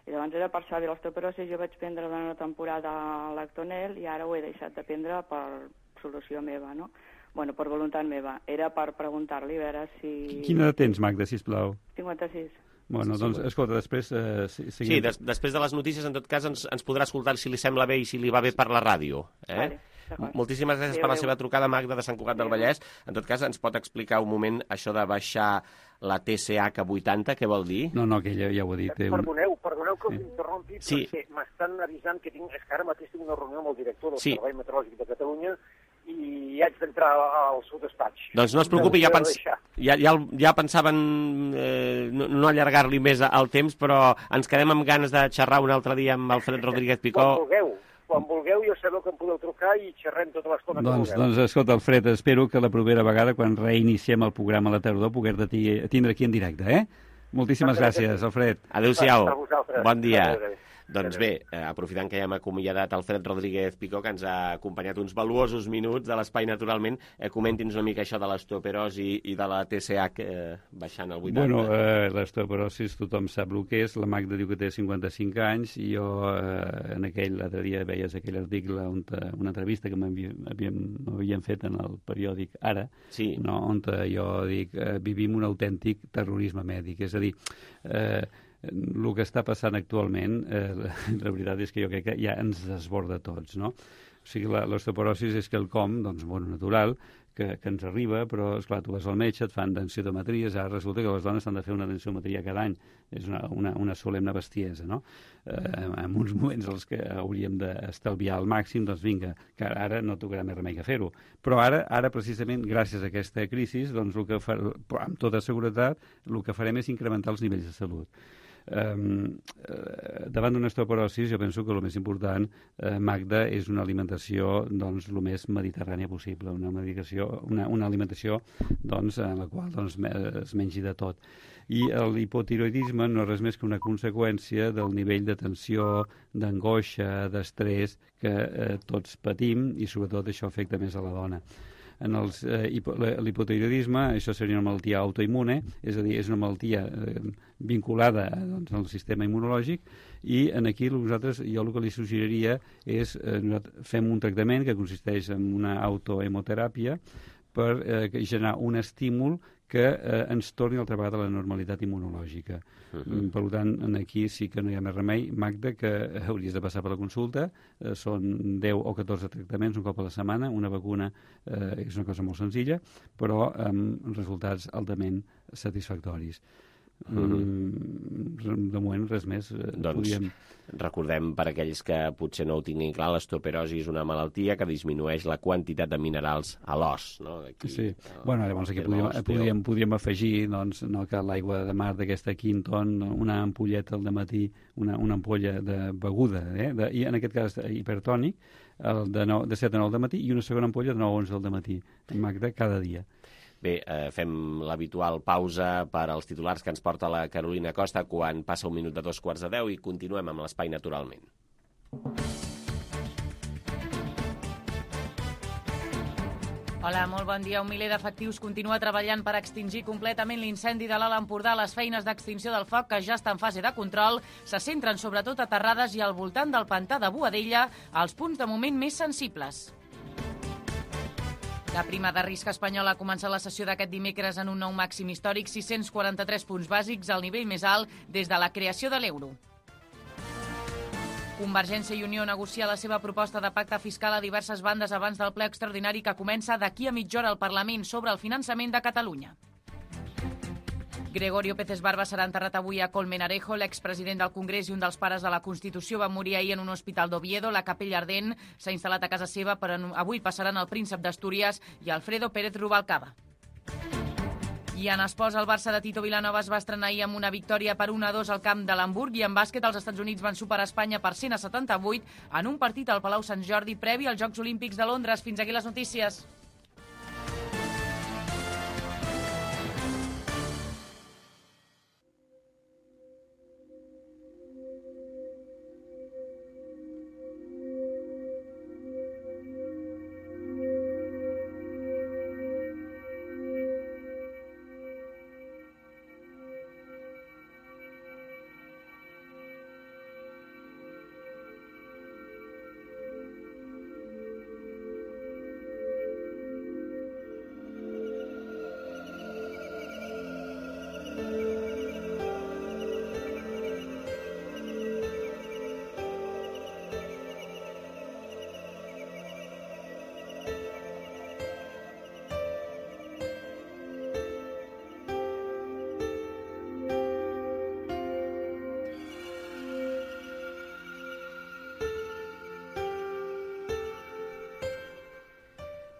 i llavors era per saber l'osteoporosis, jo vaig prendre durant una temporada l'Actonel, i ara ho he deixat de prendre per solució meva, no? Bueno, per voluntat meva. Era per preguntar-li, a veure si... Quina edat tens, Magda, sisplau? cinquanta-sis. Bueno, doncs, escolta, després... Eh, seguim... Sí, des, després de les notícies, en tot cas, ens, ens podrà escoltar si li sembla bé i si li va bé per la ràdio. Eh? Vale, moltíssimes gràcies sí, per la seva trucada, Magda, de Sant Cugat del Vallès. En tot cas, ens pot explicar un moment això de baixar la T S H a vuitanta, què vol dir? No, no, que ja, ja ho he dit. Eh, perdoneu, perdoneu que us sí. interrompi, sí. perquè m'estan avisant que tinc, és que ara mateix tinc una reunió amb el director del sí. Servei Meteorològic de Catalunya i haig d'entrar al seu despatx. Doncs no es preocupi, ja, pens... ja, ja, ja pensaven eh, no, no allargar-li més el temps, però ens quedem amb ganes de xerrar un altre dia amb Alfred Rodríguez Picó. Quan vulgueu, quan vulgueu, jo sabeu que em podeu trucar i xerrem tota l'estona doncs, que vulgueu. Doncs, escolta, Alfred, espero que la propera vegada, quan reiniciem el programa a la tardor, poder-te tindre aquí en directe, eh? Moltíssimes gràcies, Alfred. Adéu-siau. Bon dia. Doncs bé, eh, aprofitant que ja hem acomiadat Alfred Rodríguez Picó, que ens ha acompanyat uns valuosos minuts de l'Espai Naturalment, eh, comenti'ns una mica això de l'osteoporosi i de la T C H eh, baixant al vuitanta. Bueno, eh, l'osteoporosi tothom sap el que és. La Magda diu que té cinquanta-cinc anys i jo eh, en aquell l'altre dia veies aquell article, on, una entrevista que m'havien fet en el periòdic Ara, sí. No, on jo dic eh, vivim un autèntic terrorisme mèdic. És a dir, eh, el que està passant actualment, eh, la veritat és que jo crec que ja ens desborda tots, no? O sigui, l'osteoporosi és quelcom, doncs, bueno, natural, que, que ens arriba, però, esclar, tu vas al metge, et fan densitometries, ara resulta que les dones s'han de fer una densitometria cada any. És una, una, una solemne bestiesa, no? Eh, en uns moments els que hauríem d'estalviar al màxim, doncs vinga, que ara no tocarà més remei que fer-ho. Però ara, ara precisament, gràcies a aquesta crisi, doncs, el que fa, amb tota seguretat, el que farem és incrementar els nivells de salut. Um, uh, davant d'una osteoporosi jo penso que el més important, uh, Magda, és una alimentació doncs el més mediterrània possible, una medicació, una, una alimentació doncs en la qual doncs, es mengi de tot. I l'hipotiroidisme no és res més que una conseqüència del nivell de tensió, d'angoixa, d'estrès que eh, tots patim, i sobretot això afecta més a la dona. En eh, l'hipotiroidisme, això seria una malaltia autoimmune, és a dir, és una malaltia eh, vinculada doncs, al sistema immunològic, i en aquí nosaltres, jo el que li suggeriria és eh, fem un tractament que consisteix en una autohemoteràpia per eh, generar un estímul que eh, ens torni altra vegada a la normalitat immunològica. Uh-huh. Per tant, aquí sí que no hi ha més remei, Magda, que hauries de passar per la consulta. Eh, són deu o catorze tractaments un cop a la setmana, una vacuna eh, és una cosa molt senzilla, però amb resultats altament satisfactoris. Uh-huh. Mm, de moment res més. Doncs podíem... recordem, per aquells que potser no ho tinguin clar, l'osteoporosi és una malaltia que disminueix la quantitat de minerals a l'os, no? Aquí, sí. No? Bueno, llavors aquí podríem, podríem, podríem afegir doncs, no, que l'aigua de mar d'aquesta Quinton, una ampolleta al dematí, una, una ampolla de beguda, eh? de, i en aquest cas hipertònic, el de, nou, de set a nou del matí, i una segona ampolla de nou a onze del matí, Magda, cada dia. Bé, eh, fem l'habitual pausa per als titulars que ens porta la Carolina Costa quan passa un minut de dos quarts de deu i continuem amb l'Espai Naturalment. Hola, molt bon dia. Un miler d'efectius continua treballant per extingir completament l'incendi de l'Alt Empordà. Les feines d'extinció del foc, que ja està en fase de control, se centren sobretot a Terrades i al voltant del pantà de Boadella, als punts de moment més sensibles. La prima de risc espanyola ha començat la sessió d'aquest dimecres en un nou màxim històric, sis-cents quaranta-tres punts bàsics, al nivell més alt des de la creació de l'euro. Convergència i Unió negocia la seva proposta de pacte fiscal a diverses bandes abans del ple extraordinari que comença d'aquí a mitja hora al Parlament sobre el finançament de Catalunya. Gregorio Pérez Barba serà enterrat avui a Colmenarejo. L'expresident del Congrés i un dels pares de la Constitució va morir ahir en un hospital d'Oviedo. La capella ardent s'ha instal·lat a casa seva, però avui passaran el príncep d'Astúries i Alfredo Pérez Rubalcaba. I en esports, el Barça de Tito Vilanova es va estrenar ahir amb una victòria per un a dos al camp de l'Hamburg, i en bàsquet els Estats Units van superar Espanya per cent a setanta-vuit en un partit al Palau Sant Jordi previ als Jocs Olímpics de Londres. Fins aquí les notícies.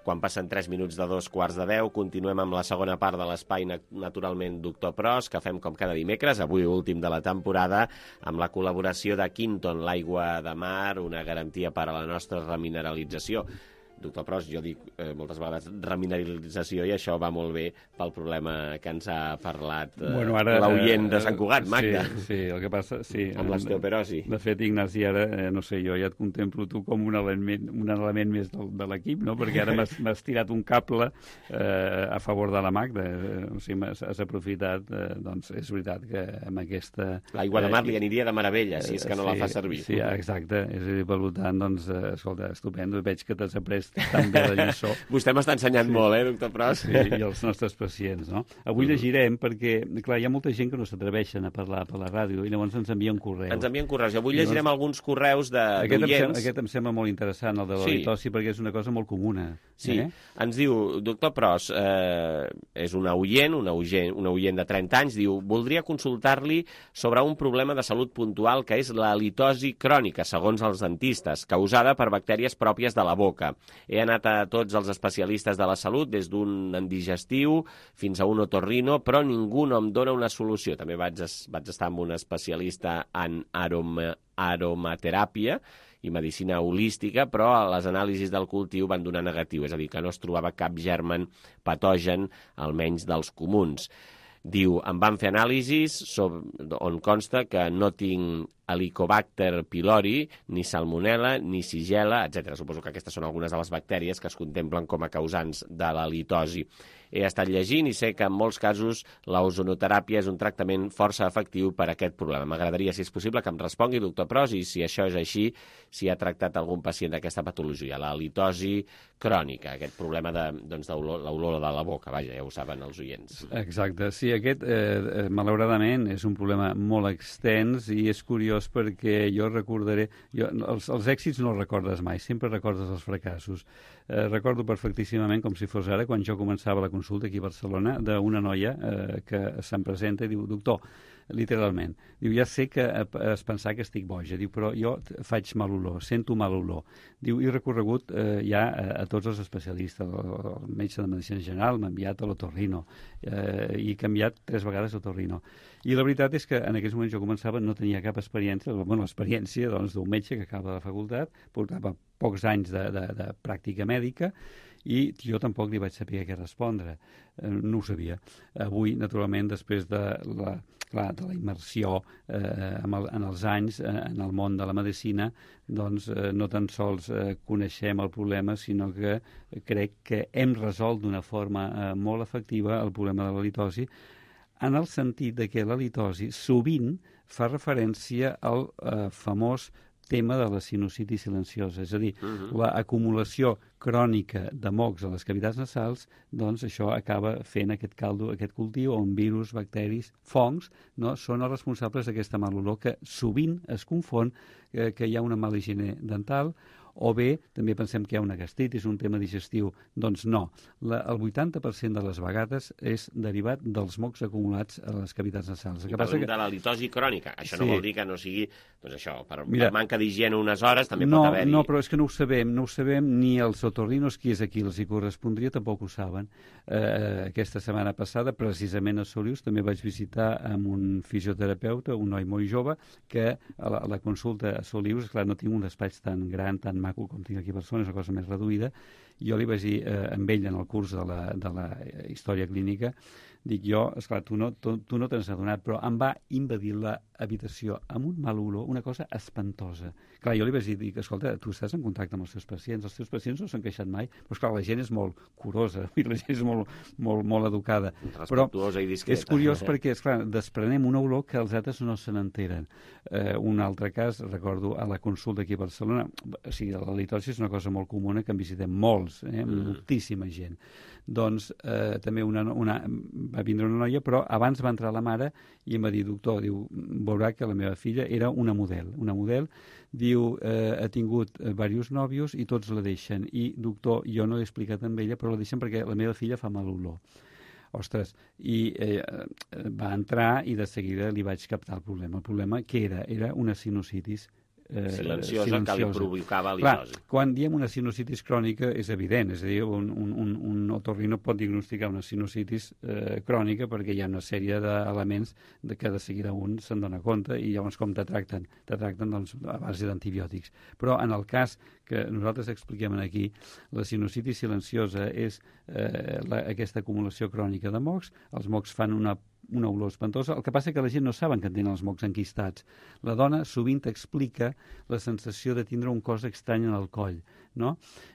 Quan passen tres minuts de dos quarts de deu, continuem amb la segona part de l'espai Naturalment Doctor Pros, que fem com cada dimecres, avui últim de la temporada, amb la col·laboració de Quinton, l'aigua de mar, una garantia per a la nostra remineralització. doctor Pros, jo dic eh, moltes vegades remineralització, i això va molt bé pel problema que ens ha parlat eh, bueno, ara, l'oient de Sant Cugat, Magda. Sí, sí, el que passa... Sí, amb l'osteoporosi. De fet, Ignasi, ara, eh, no sé, jo ja et contemplo tu com un element, un element més del, de l'equip, no? Perquè ara m'has tirat un cable eh, a favor de la Magda. Eh, o sigui, has aprofitat, eh, doncs és veritat que amb aquesta... L'aigua de mar li aniria de meravella, si és que no sí, la fa servir. Sí, exacte. És a dir, per tant, doncs, eh, escolta, estupendo. Veig que t'has après tan bé la lliçó. Vostè m'està ensenyant sí. molt, eh, doctor Pros? Sí, i els nostres pacients, no? Avui llegirem perquè, clar, hi ha molta gent que no s'atreveixen a parlar per la ràdio i llavors ens envien correus. Ens envien correus. I avui llegirem llavors, alguns correus d'oients. Aquest, em sembla, aquest em sembla molt interessant, el de la litosi, sí. perquè és una cosa molt comuna. Sí. Eh? Ens diu, doctor Pros, eh, és una oient, una oient, una oient de trenta anys, diu, voldria consultar-li sobre un problema de salut puntual que és la litosi crònica, segons els dentistes, causada per bactèries pròpies de la boca. He anat a tots els especialistes de la salut, des d'un digestiu fins a un otorrino, però ningú no em dona una solució. També vaig, vaig estar amb un especialista en aroma, aromateràpia i medicina holística, però les anàlisis del cultiu van donar negatiu, és a dir, que no es trobava cap germen patogen, almenys dels comuns. Diu, em van fer anàlisis sobre, on consta que no tinc Helicobacter pylori, ni Salmonella, ni Shigella, etcètera. Suposo que aquestes són algunes de les bactèries que es contemplen com a causants de la litosi. He estat llegint i sé que en molts casos l'ozonoteràpia és un tractament força efectiu per a aquest problema. M'agradaria, si és possible, que em respongui, doctor Pros, i si això és així, si ha tractat algun pacient d'aquesta patologia, la litosi crònica, aquest problema de, doncs, de l'olor de la boca, vaja, ja ho saben els oients. Exacte, sí, aquest, eh, malauradament, és un problema molt extens i és curiós perquè jo recordaré... Jo, els, els èxits no els recordes mai, sempre recordes els fracassos. Eh, recordo perfectíssimament, com si fos ara, quan jo començava la consulta aquí a Barcelona, d'una noia eh, que se'm presenta i diu, doctor, literalment, diu, ja sé que es pensar que estic boja, diu, però jo faig mal olor, sento mal olor. Diu, he recorregut eh, ja a, a tots els especialistes, el, el metge de medicina general m'ha enviat a l'otorrino eh, i he canviat tres vegades l'otorrino. I la veritat és que en aquells moments jo començava, no tenia cap experiència, bueno, l'experiència doncs, d'un metge que acaba de la facultat, portava pocs anys de, de, de pràctica mèdica, i jo tampoc li vaig saber què respondre. Eh, no ho sabia. Avui, naturalment, després de la, clar, de la immersió eh, en, el, en els anys eh, en el món de la medicina, doncs eh, no tan sols eh, coneixem el problema, sinó que crec que hem resolt d'una forma eh, molt efectiva el problema de la litosi, en el sentit de que la litosi sovint fa referència al eh, famós tema de la sinusitis silenciosa, és a dir, uh-huh. l'acumulació crònica de mocs a les cavitats nasals, doncs això acaba fent aquest caldo, aquest cultiu on virus, bacteris, fongs, no, són els responsables d'aquesta mal olor que sovint es confon eh, que hi ha una mala higiene dental, o bé també pensem que hi ha una gastritis, un tema digestiu. Doncs no. La, el vuitanta per cent de les vegades és derivat dels mocs acumulats a les cavitats nasals. I parlem que... de la litosi crònica. Això sí. No vol dir que no sigui, doncs això, per, Mira, per manca d'higiene unes hores també no, pot haver-hi. No, però és que no ho sabem, no ho sabem, ni els otorrinos, qui és aquí els hi correspondria, tampoc ho saben. Eh, aquesta setmana passada, precisament a Solius, també vaig visitar amb un fisioterapeuta, un noi molt jove, que a la, a la consulta a Solius, clar, no tinc un despatx tan gran, tan maco com tinc aquí a Barcelona, és una cosa més reduïda, i jo li vaig dir eh, amb ell en el curs de la, de la història clínica, dic jo, esclar, tu no, tu, tu no t'has adonat, però em va invadir l'habitació amb un mal olor, una cosa espantosa. Clar, jo li vaig dir, dic, escolta, tu estàs en contacte amb els teus pacients, els teus pacients no s'han queixat mai, però esclar, la gent és molt curosa, i la gent és molt, molt, molt educada. Respectuosa i discreta. És curiós perquè, esclar, desprenem una olor que els altres no se n'enteren. Eh, un altre cas, recordo, a la consulta aquí a Barcelona, o sigui, la litosi és una cosa molt comuna que en visitem molts, eh, mm. moltíssima gent. Doncs eh, també una, una, va vindre una noia, però abans va entrar la mare i em va dir, doctor, diu, veurà que la meva filla era una model, una model, diu, eh, ha tingut diversos nòvios i tots la deixen, i doctor, jo no l'he explicat amb ella, però la deixen perquè la meva filla fa mal olor. Ostres, i eh, va entrar i de seguida li vaig captar el problema. El problema que era? Era una sinusitis eh, silenciosa, silenciosa que li provocava Clar, litosi. quan diem una sinusitis crònica és evident, és a dir, un, un, un, un otorrino pot diagnosticar una sinusitis eh, crònica perquè hi ha una sèrie d'elements de que de seguida un se'n dona compte i llavors com te tracten? Te tracten doncs, a base d'antibiòtics. Però en el cas que nosaltres expliquem aquí, la sinusitis silenciosa és eh, la, aquesta acumulació crònica de mocs. Els mocs fan una una olor espantosa. El que passa és que la gent no saben que tenen els mocs enquistats. La dona sovint explica la sensació de tindre un cos estrany en el coll, no?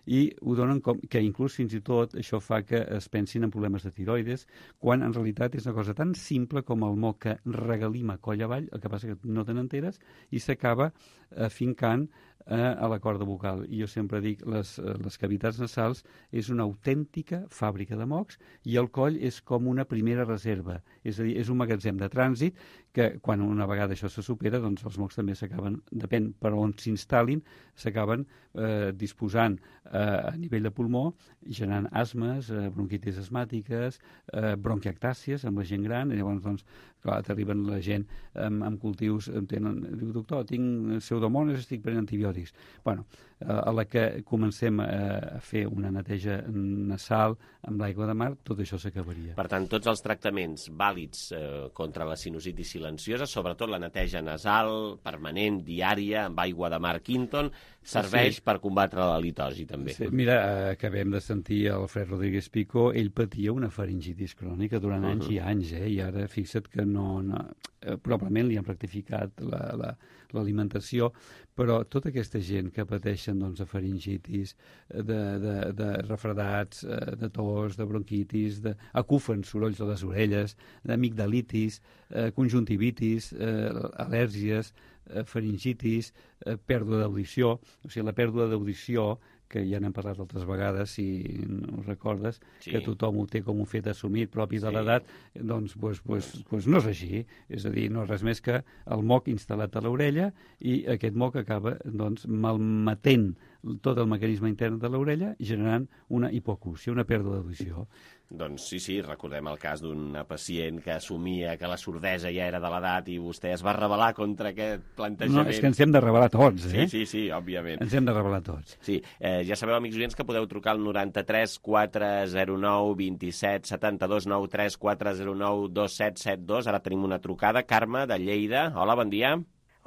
I ho donen com que inclús fins i tot això fa que es pensin en problemes de tiroides, quan en realitat és una cosa tan simple com el moc que regalima coll avall, el que passa que no te n'enteres, i s'acaba afincant eh, a la corda vocal. I jo sempre dic, les, les cavitats nasals és una autèntica fàbrica de mocs i el coll és com una primera reserva, és a dir, és un magatzem de trànsit que quan una vegada això se supera, doncs els mocs també s'acaben, depèn per on s'instal·lin, s'acaben eh, disposant eh, a nivell de pulmó, generant asmes, eh, bronquitis asmàtiques, eh, bronquiectàcies amb la gent gran, i llavors, doncs, clar, t'arriben la gent amb, amb cultius, tenen, diu, doctor, tinc pseudomones, estic prenent antibiòtics. Bueno, eh, a la que comencem a, a fer una neteja nasal amb l'aigua de mar, tot això s'acabaria. Per tant, tots els tractaments vàlids eh, contra la sinusitis silenciosa, sobretot la neteja nasal, permanent, diària, amb aigua de mar Quinton, serveix sí. per combatre la litosi, també. Sí. Mira, eh, acabem de sentir el Fred Rodríguez Pico, ell patia una faringitis crònica durant uh -huh. anys i anys, eh? I ara fixa't que no, no eh, probablement li han rectificat la, la, l'alimentació, però tota aquesta gent que pateixen doncs, de faringitis, de, de, de refredats, de tos, de bronquitis, de acufen, sorolls a les orelles, d'amigdalitis, eh, conjuntivitis, eh, al·lèrgies, eh, faringitis, eh, pèrdua d'audició, o sigui, la pèrdua d'audició que ja n'hem parlat altres vegades, si no recordes, sí. que tothom ho té com un fet assumit propi de sí. l'edat, doncs, pues, pues, pues no és així. És a dir, no és res més que el moc instal·lat a l'orella i aquest moc acaba doncs, malmetent tot el mecanisme intern de l'orella, generant una hipocúsia, una pèrdua d'audició. Doncs sí, sí, recordem el cas d'una pacient que assumia que la sordesa ja era de l'edat i vostè es va rebel·lar contra aquest plantejament. No, és que ens hem de rebel·lar tots, eh? Sí, sí, sí, òbviament. Ens hem de rebel·lar tots. Sí, eh, ja sabeu, amics oients, que podeu trucar al noranta-tres quatre zero nou vint-i-set setanta-dos noranta-tres quatre zero nou dos set set dos. Ara tenim una trucada. Carme, de Lleida. Hola, bon dia.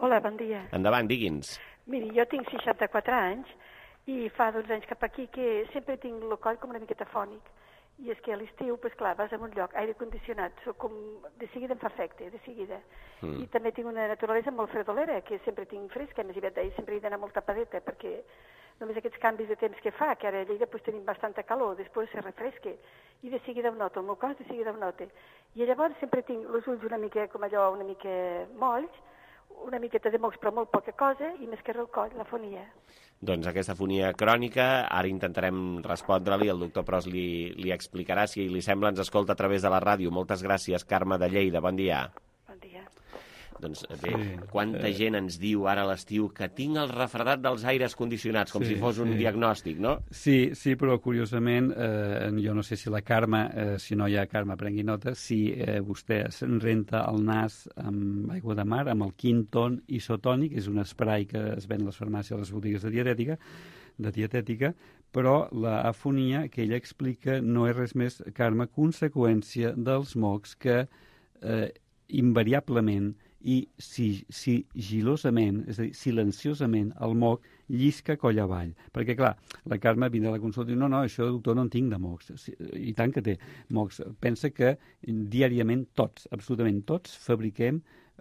Hola, bon dia. Endavant, digui'ns. Miri, jo tinc seixanta-quatre anys i fa dotze anys cap aquí que sempre tinc el coll com una miqueta fònic. I és que a l'estiu, doncs clar, vas a un lloc, aire condicionat, soc com, de seguida em fa efecte, de seguida. Mm. I també tinc una naturalesa molt fredolera, que sempre tinc fresca, més aviat d'ahir sempre he d'anar molt tapadeta, perquè només aquests canvis de temps que fa, que ara a Lleida pues, tenim bastanta calor, després se refresca, i de seguida ho noto, el meu cos de seguida ho noto. I llavors sempre tinc els ulls una mica, com allò, una mica molls, una miqueta de mocs, però molt poca cosa, i més que el coll, la fonia. Doncs aquesta fonia crònica, ara intentarem respondre-li, el doctor Pros li, li explicarà, si li sembla ens escolta a través de la ràdio. Moltes gràcies, Carme de Lleida, bon dia. Bon dia. Doncs bé, sí. quanta eh... gent ens diu ara a l'estiu que tinc el refredat dels aires condicionats, com sí, si fos un sí. diagnòstic, no? Sí, sí, però curiosament, eh, jo no sé si la Carme, eh, si no hi ha Carme, prengui nota, si eh, vostè se'n renta el nas amb aigua de mar, amb el Quinton isotònic, és un spray que es ven a les farmàcies, a les botigues de dietètica, de dietètica, però l'afonia que ella explica no és res més, Carme, conseqüència dels mocs que eh, invariablement i si, sigilosament, és a dir, silenciosament, el moc llisca coll avall. Perquè, clar, la Carme vindrà a la consulta i diu, no, no, això, doctor, no en tinc de mocs. I tant que té mocs. Pensa que diàriament tots, absolutament tots, fabriquem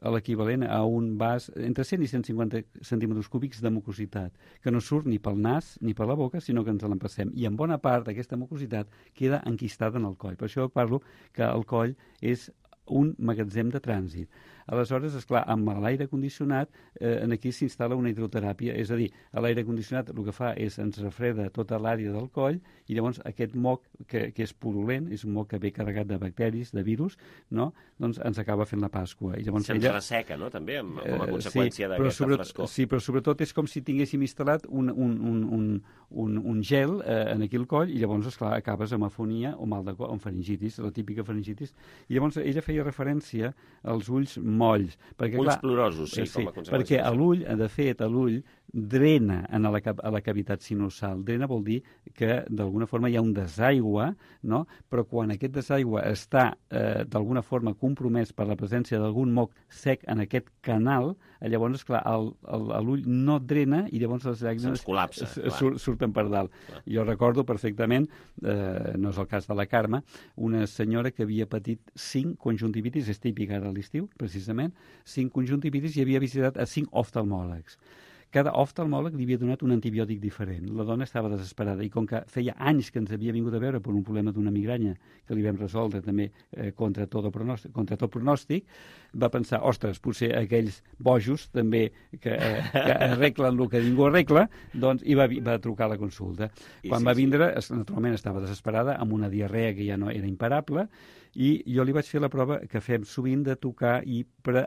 l'equivalent a un vas entre cent i cent cinquanta centímetres cúbics de mucositat, que no surt ni pel nas ni per la boca, sinó que ens l'empassem. I en bona part d'aquesta mucositat queda enquistada en el coll. Per això parlo que el coll és un magatzem de trànsit. Aleshores, esclar, amb l'aire condicionat, eh, aquí s'instal·la una hidroteràpia, és a dir, l'aire condicionat el que fa és ens refreda tota l'àrea del coll i llavors aquest moc, que, que és purulent, és un moc que ve carregat de bacteris, de virus, no? Doncs ens acaba fent la Pasqua. I llavors Se'ns ella... resseca, no?, també, amb, com a conseqüència sí, d'aquesta sobre... frescor. Sí, però sobretot és com si tinguéssim instal·lat un, un, un, un, un, un un gel eh, en aquí el coll, i llavors, esclar, acabes amb afonia o mal de coll, amb faringitis, la típica faringitis. I llavors ella feia referència als ulls molls. Perquè, ulls clar, plorosos, sí, eh, sí, com a conseqüència. Perquè a l'ull, de fet, a l'ull drena en la, a la cavitat sinusal. Drena vol dir que d'alguna forma hi ha un desaigua, no? Però quan aquest desaigua està eh, d'alguna forma compromès per la presència d'algun moc sec en aquest canal, llavors, esclar, l'ull no drena i llavors les llàgrimes col·lapsa, sur, surten per dalt. Clar. Jo recordo perfectament, eh, no és el cas de la Carme, una senyora que havia patit cinc conjuntivitis, és típica ara a l'estiu, precisament, cinc conjuntivitis i havia visitat a cinc oftalmòlegs. Cada oftalmòleg li havia donat un antibiòtic diferent. La dona estava desesperada i com que feia anys que ens havia vingut a veure per un problema d'una migranya que li vam resoldre també eh, contra, tot pronòstic, contra tot pronòstic, va pensar, ostres, potser aquells bojos també que, eh, que arreglen el que ningú arregla, doncs, i va, va trucar a la consulta. I Quan sí, va vindre, sí. naturalment estava desesperada, amb una diarrea que ja no era imparable, i jo li vaig fer la prova que fem sovint de tocar i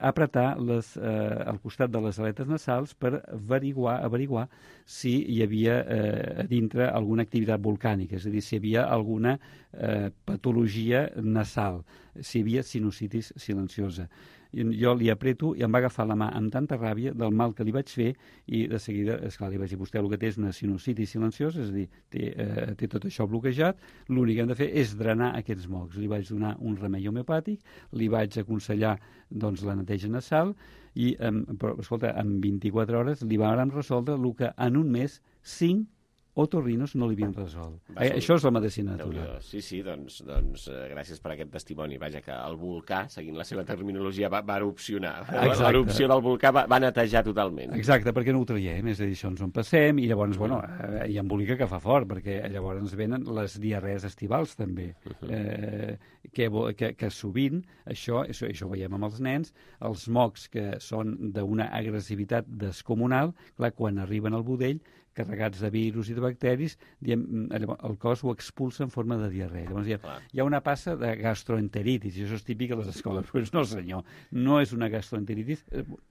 apretar les, eh, al costat de les aletes nasals per averiguar, averiguar si hi havia eh, a dintre alguna activitat volcànica, és a dir, si hi havia alguna eh, patologia nasal, si hi havia sinusitis silenciosa. I jo li apreto i em va agafar la mà amb tanta ràbia del mal que li vaig fer i de seguida, esclar, li vaig dir, vostè el que té és una sinusitis silenciosa, és a dir, té, eh, té tot això bloquejat, l'únic que hem de fer és drenar aquests mocs. Li vaig donar un remei homeopàtic, li vaig aconsellar doncs, la neteja nasal i, eh, però, escolta, en vint-i-quatre hores li vàrem resoldre el que en un mes cinc otorrinos no li havien resolt. Eh, això és la medicina natural. Sí, sí, doncs, doncs eh, gràcies per aquest testimoni. Vaja, que el volcà, seguint la seva terminologia, va, va erupcionar. L'erupció del volcà va, va netejar totalment. Exacte, perquè no ho traiem, és a dir, això ens en passem, i llavors, bueno, eh, hi embolica que fa fort, perquè llavors ens venen les diarrees estivals, també, uh-huh. eh, que, que, que sovint, això, això, això ho veiem amb els nens, els mocs que són d'una agressivitat descomunal, clar, quan arriben al budell, carregats de virus i de bacteris, diem, el cos ho expulsa en forma de diarrea. Llavors hi ha, hi ha una passa de gastroenteritis, i això és típic a les escoles. Però no, senyor, no és una gastroenteritis,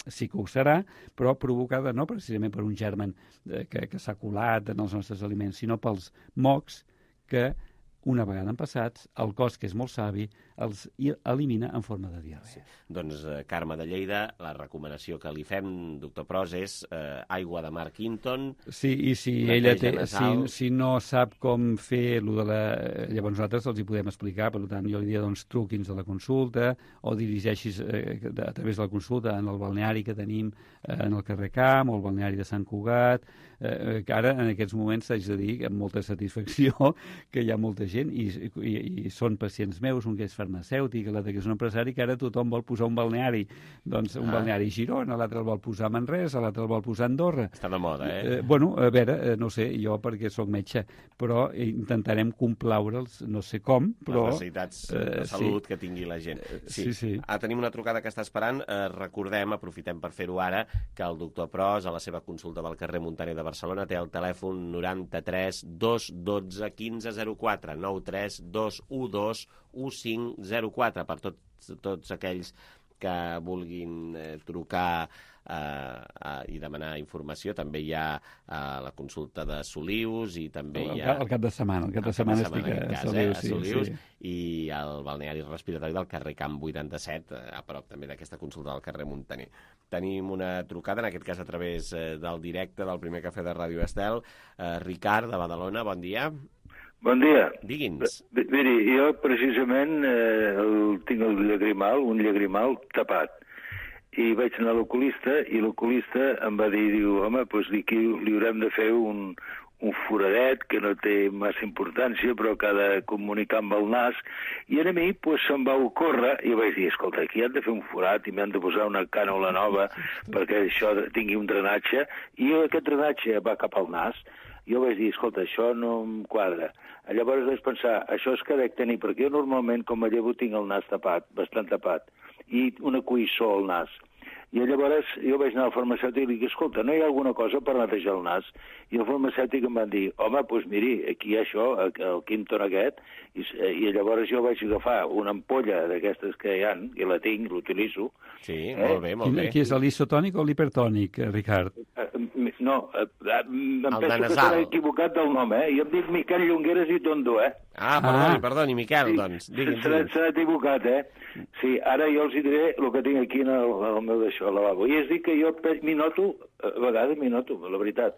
sí que ho serà, però provocada no precisament per un germen que, que s'ha colat en els nostres aliments, sinó pels mocs que, una vegada en passats, el cos, que és molt savi, els elimina en forma de diarrea. Sí. Doncs, eh, Carme de Lleida, la recomanació que li fem, doctor Pros, és eh, aigua de mar Quinton... Sí, i si ella té, si, si no sap com fer lo de la... Llavors nosaltres els hi podem explicar, per tant, jo li diria, doncs, truqui'ns a la consulta o dirigeixis eh, a través de la consulta en el balneari que tenim eh, en el carrer Camp o el balneari de Sant Cugat, eh, que ara, en aquests moments, s'haig de dir, amb molta satisfacció, que hi ha molta gent i, i, i són pacients meus, un que és farmacèutic, l'altre que és un empresari, que ara tothom vol posar un balneari, doncs un ah. balneari a Girona, l'altre el vol posar a Manresa, l'altre el vol posar a Andorra. Està de moda, eh? eh? Bueno, a veure, eh, no sé, jo perquè sóc metge, però intentarem complaure'ls, no sé com, però... Les necessitats eh, de salut sí. que tingui la gent. Sí, sí. sí. Ah, tenim una trucada que està esperant. Eh, recordem, aprofitem per fer-ho ara, que el doctor Pros, a la seva consulta del carrer Muntaner de Barcelona, té el telèfon noranta-tres dos dotze quinze zero quatre, nou tres dos u dos u cinc zero quatre, per tots, tots aquells que vulguin eh, trucar eh, eh, i demanar informació. També hi ha eh, la consulta de Solius i també el, hi ha... El cap de setmana, el cap de setmana, cap de setmana estic a, cas, Solius, eh, a Solius sí, sí. I el balneari respiratori del carrer Camp vuitanta-set, eh, a prop també d'aquesta consulta del carrer Muntaner. Tenim una trucada, en aquest cas a través eh, del directe del primer cafè de Ràdio Estel. Eh, Ricard, de Badalona, bon dia. Bon dia. Digui'ns. Miri, jo precisament eh, el, tinc el llagrimal, un llagrimal tapat. I vaig anar a l'oculista i l'oculista em va dir, diu, home, doncs aquí li haurem de fer un, un foradet que no té massa importància, però que ha de comunicar amb el nas. I a mi doncs, se'm va ocórrer i vaig dir, escolta, aquí han de fer un forat i m'han de posar una cànula nova perquè això tingui un drenatge. I aquest drenatge va cap al nas. Jo vaig dir, escolta, això no em quadra. Llavors vaig pensar, això és que dec tenir, perquè jo normalment, com a llevo, tinc el nas tapat, bastant tapat, i una cuissó al nas. I llavors jo vaig anar al farmacèutic i li dic, escolta, no hi ha alguna cosa per netejar el nas? I el farmacèutic em va dir, home, doncs miri, aquí hi ha això, el Quinton aquest, i, i llavors jo vaig agafar una ampolla d'aquestes que hi ha, i la tinc, l'utilitzo, Sí, eh? molt bé, molt bé. Qui és l'isotònic o l'hipertònic, Ricard? No, em El de penso que nasal. t'he equivocat del nom, eh? Jo em dic Miquel Llongueres i Tondo, eh? Ah, perdoni, perdoni, Miquel, Sí, doncs. Digui'm, s'ha digui'm. s'ha equivocat, eh? Sí, ara jo els hi diré el que tinc aquí en el, el meu d'això, al lavabo. I és dir que jo pe- m'hi noto, a vegades m'hi noto, la veritat,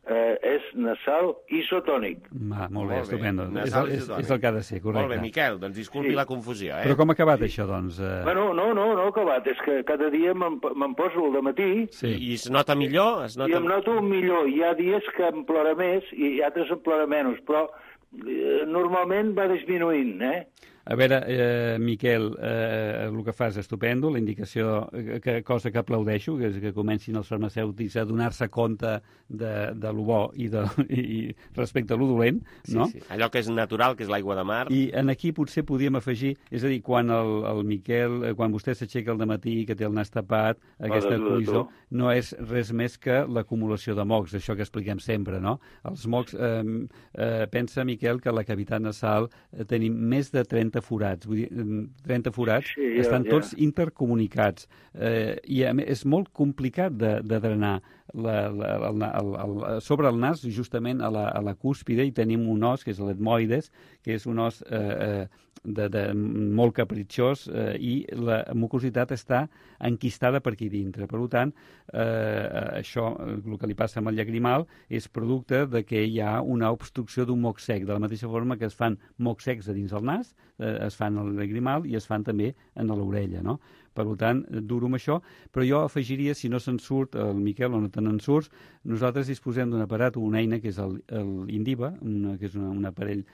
eh, és nasal isotònic. Va, molt bé, Molt bé. estupendo. És, Nasal el- és, isotònic. és el que ha de ser, correcte. Molt bé, Miquel, doncs disculpi Sí. la confusió, eh? Però com ha acabat això, doncs? Eh... Bueno, no, no, no ha acabat, és que cada dia me'n me'n poso al matí Sí. I es nota millor? Es i nota... em noto millor. Hi ha dies que em plora més i altres em plora menys, però eh, normalment va disminuint, eh? A veure, eh, Miquel, eh, el que fas estupendo, la indicació, eh, que, cosa que aplaudeixo, que és que comencin els farmacèutics a donar-se compte de, de lo bo i, de, i respecte a lo dolent, Sí, no? sí. Allò que és natural, que és l'aigua de mar. I en aquí potser podíem afegir, és a dir, quan el, el Miquel, eh, quan vostè s'aixeca al dematí, que té el nas tapat, aquesta de- de- coïssor, no és res més que l'acumulació de mocs, això que expliquem sempre, no? Els mocs, eh, eh, pensa, Miquel, que a la cavitat nasal eh, tenim més de trenta forats, vull dir, eh, trenta forats, Sí, ja, estan ja. tots intercomunicats, eh, i a més, és molt complicat de, de drenar la, la, el, el, el, sobre el nas, justament a la, a la cúspide, i tenim un os, que és l'etmoides, que és un os eh, eh, de, de, molt capritxós, eh, i la mucositat està enquistada per aquí dintre. Per tant, eh, això, el que li passa amb el llagrimal, és producte de que hi ha una obstrucció d'un moc sec, de la mateixa forma que es fan mocs secs a dins del nas, eh, es fan al llagrimal i es fan també en l'orella, no? Per tant, duro amb això, però jo afegiria, si no se'n surt el Miquel o no te n'en surts, nosaltres disposem d'un aparat o una eina que és el, el Indiva, una, que és una, un aparell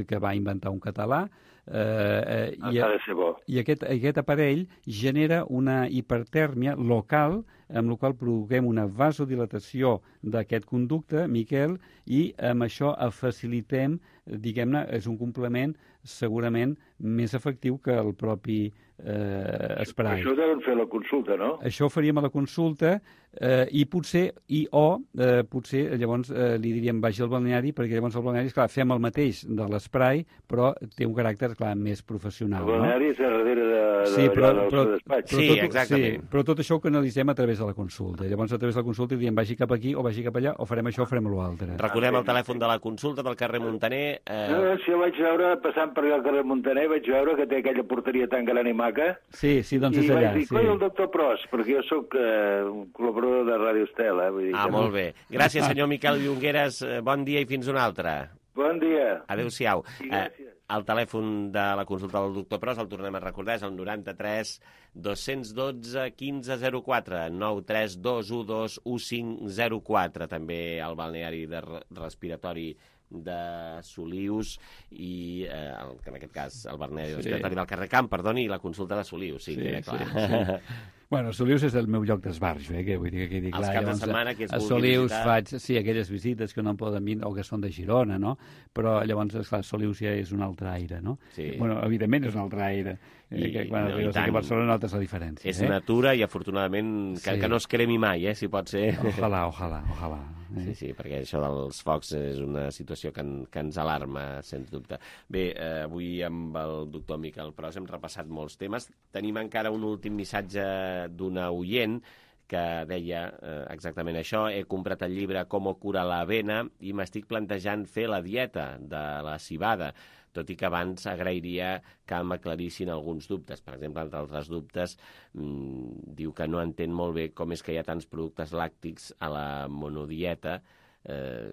que va inventar un català, eh, eh, i, Ha de ser bo. i aquest, aquest aparell genera una hipertèrmia local, amb la qual provoquem una vasodilatació d'aquest conducte, Miquel, i amb això facilitem, diguem-ne, és un complement segurament més efectiu que el propi eh, spray. Això ho deuen fer a la consulta, no? Això ho faríem a la consulta eh, i potser, i o eh, potser llavors eh, li diríem vagi al balneari, perquè llavors al balneari, esclar, fem el mateix de l'esprai, però té un caràcter, clar, més professional. El balneari és a darrere de, de, Sí, però, del però, seu despatx. però, Sí, tot, exactament. Sí, però tot això ho canalitzem a través de la consulta. Llavors, a través de la consulta diem vagi cap aquí o vagi cap allà, o farem això o farem l'altre. Recordem el telèfon de la consulta del carrer Montaner. Eh... No, si jo vaig veure, passant per allà al carrer Montaner, vaig veure que té aquella porteria tan gran i maca, Sí, sí, doncs i és allà. vaig dir, Sí. coi, el doctor Pros, perquè jo sóc eh, un col·laborador de Ràdio Estel, eh? Vull dir Ah, que no. molt bé. Gràcies, senyor Miquel Llongueres. Eh, Bon dia i fins una altra. Bon dia. Adéu-siau. Sí, Eh, gràcies. el telèfon de la consulta del doctor Pros, el tornem a recordar, és el noranta-tres dos-cents dotze quinze zero quatre, nou tres dos u dos u cinc zero quatre, també al balneari de re- respiratori de Solius i, eh, el, que en aquest cas, el balneari Sí. respiratori del carrer Camp, perdoni, i la consulta de Solius, sí, Sí, queda sí, clar. sí. Bueno, Solius és el meu lloc d'esbarjo, eh, que vull dir que quedi Els clar. caps de Llavors, setmana que es a vulgui Solius visitar. faig, sí, aquelles visites que no em poden vindre o que són de Girona, no? Però llavors, esclar, Solius ja és un altre aire, no? Sí. Bueno, evidentment és un altre aire. Eh, I- que quan no, i arribes aquí a tant. Barcelona notes la diferència. És eh? natura i, afortunadament, que, Sí. que no es cremi mai, eh, si pot ser. Ojalà, ojalà, ojalà. Eh? Sí, sí, perquè això dels focs és una situació que, en, que ens alarma, sens dubte. Bé, eh, avui amb el doctor Miquel Pros hem repassat molts temes. Tenim encara un últim missatge d'una oient que deia eh, exactament això. He comprat el llibre Com cura la avena i m'estic plantejant fer la dieta de la civada, tot i que abans agrairia que m'aclarissin alguns dubtes. Per exemple, entre altres dubtes, mmm, diu que no entén molt bé com és que hi ha tants productes làctics a la monodieta, eh,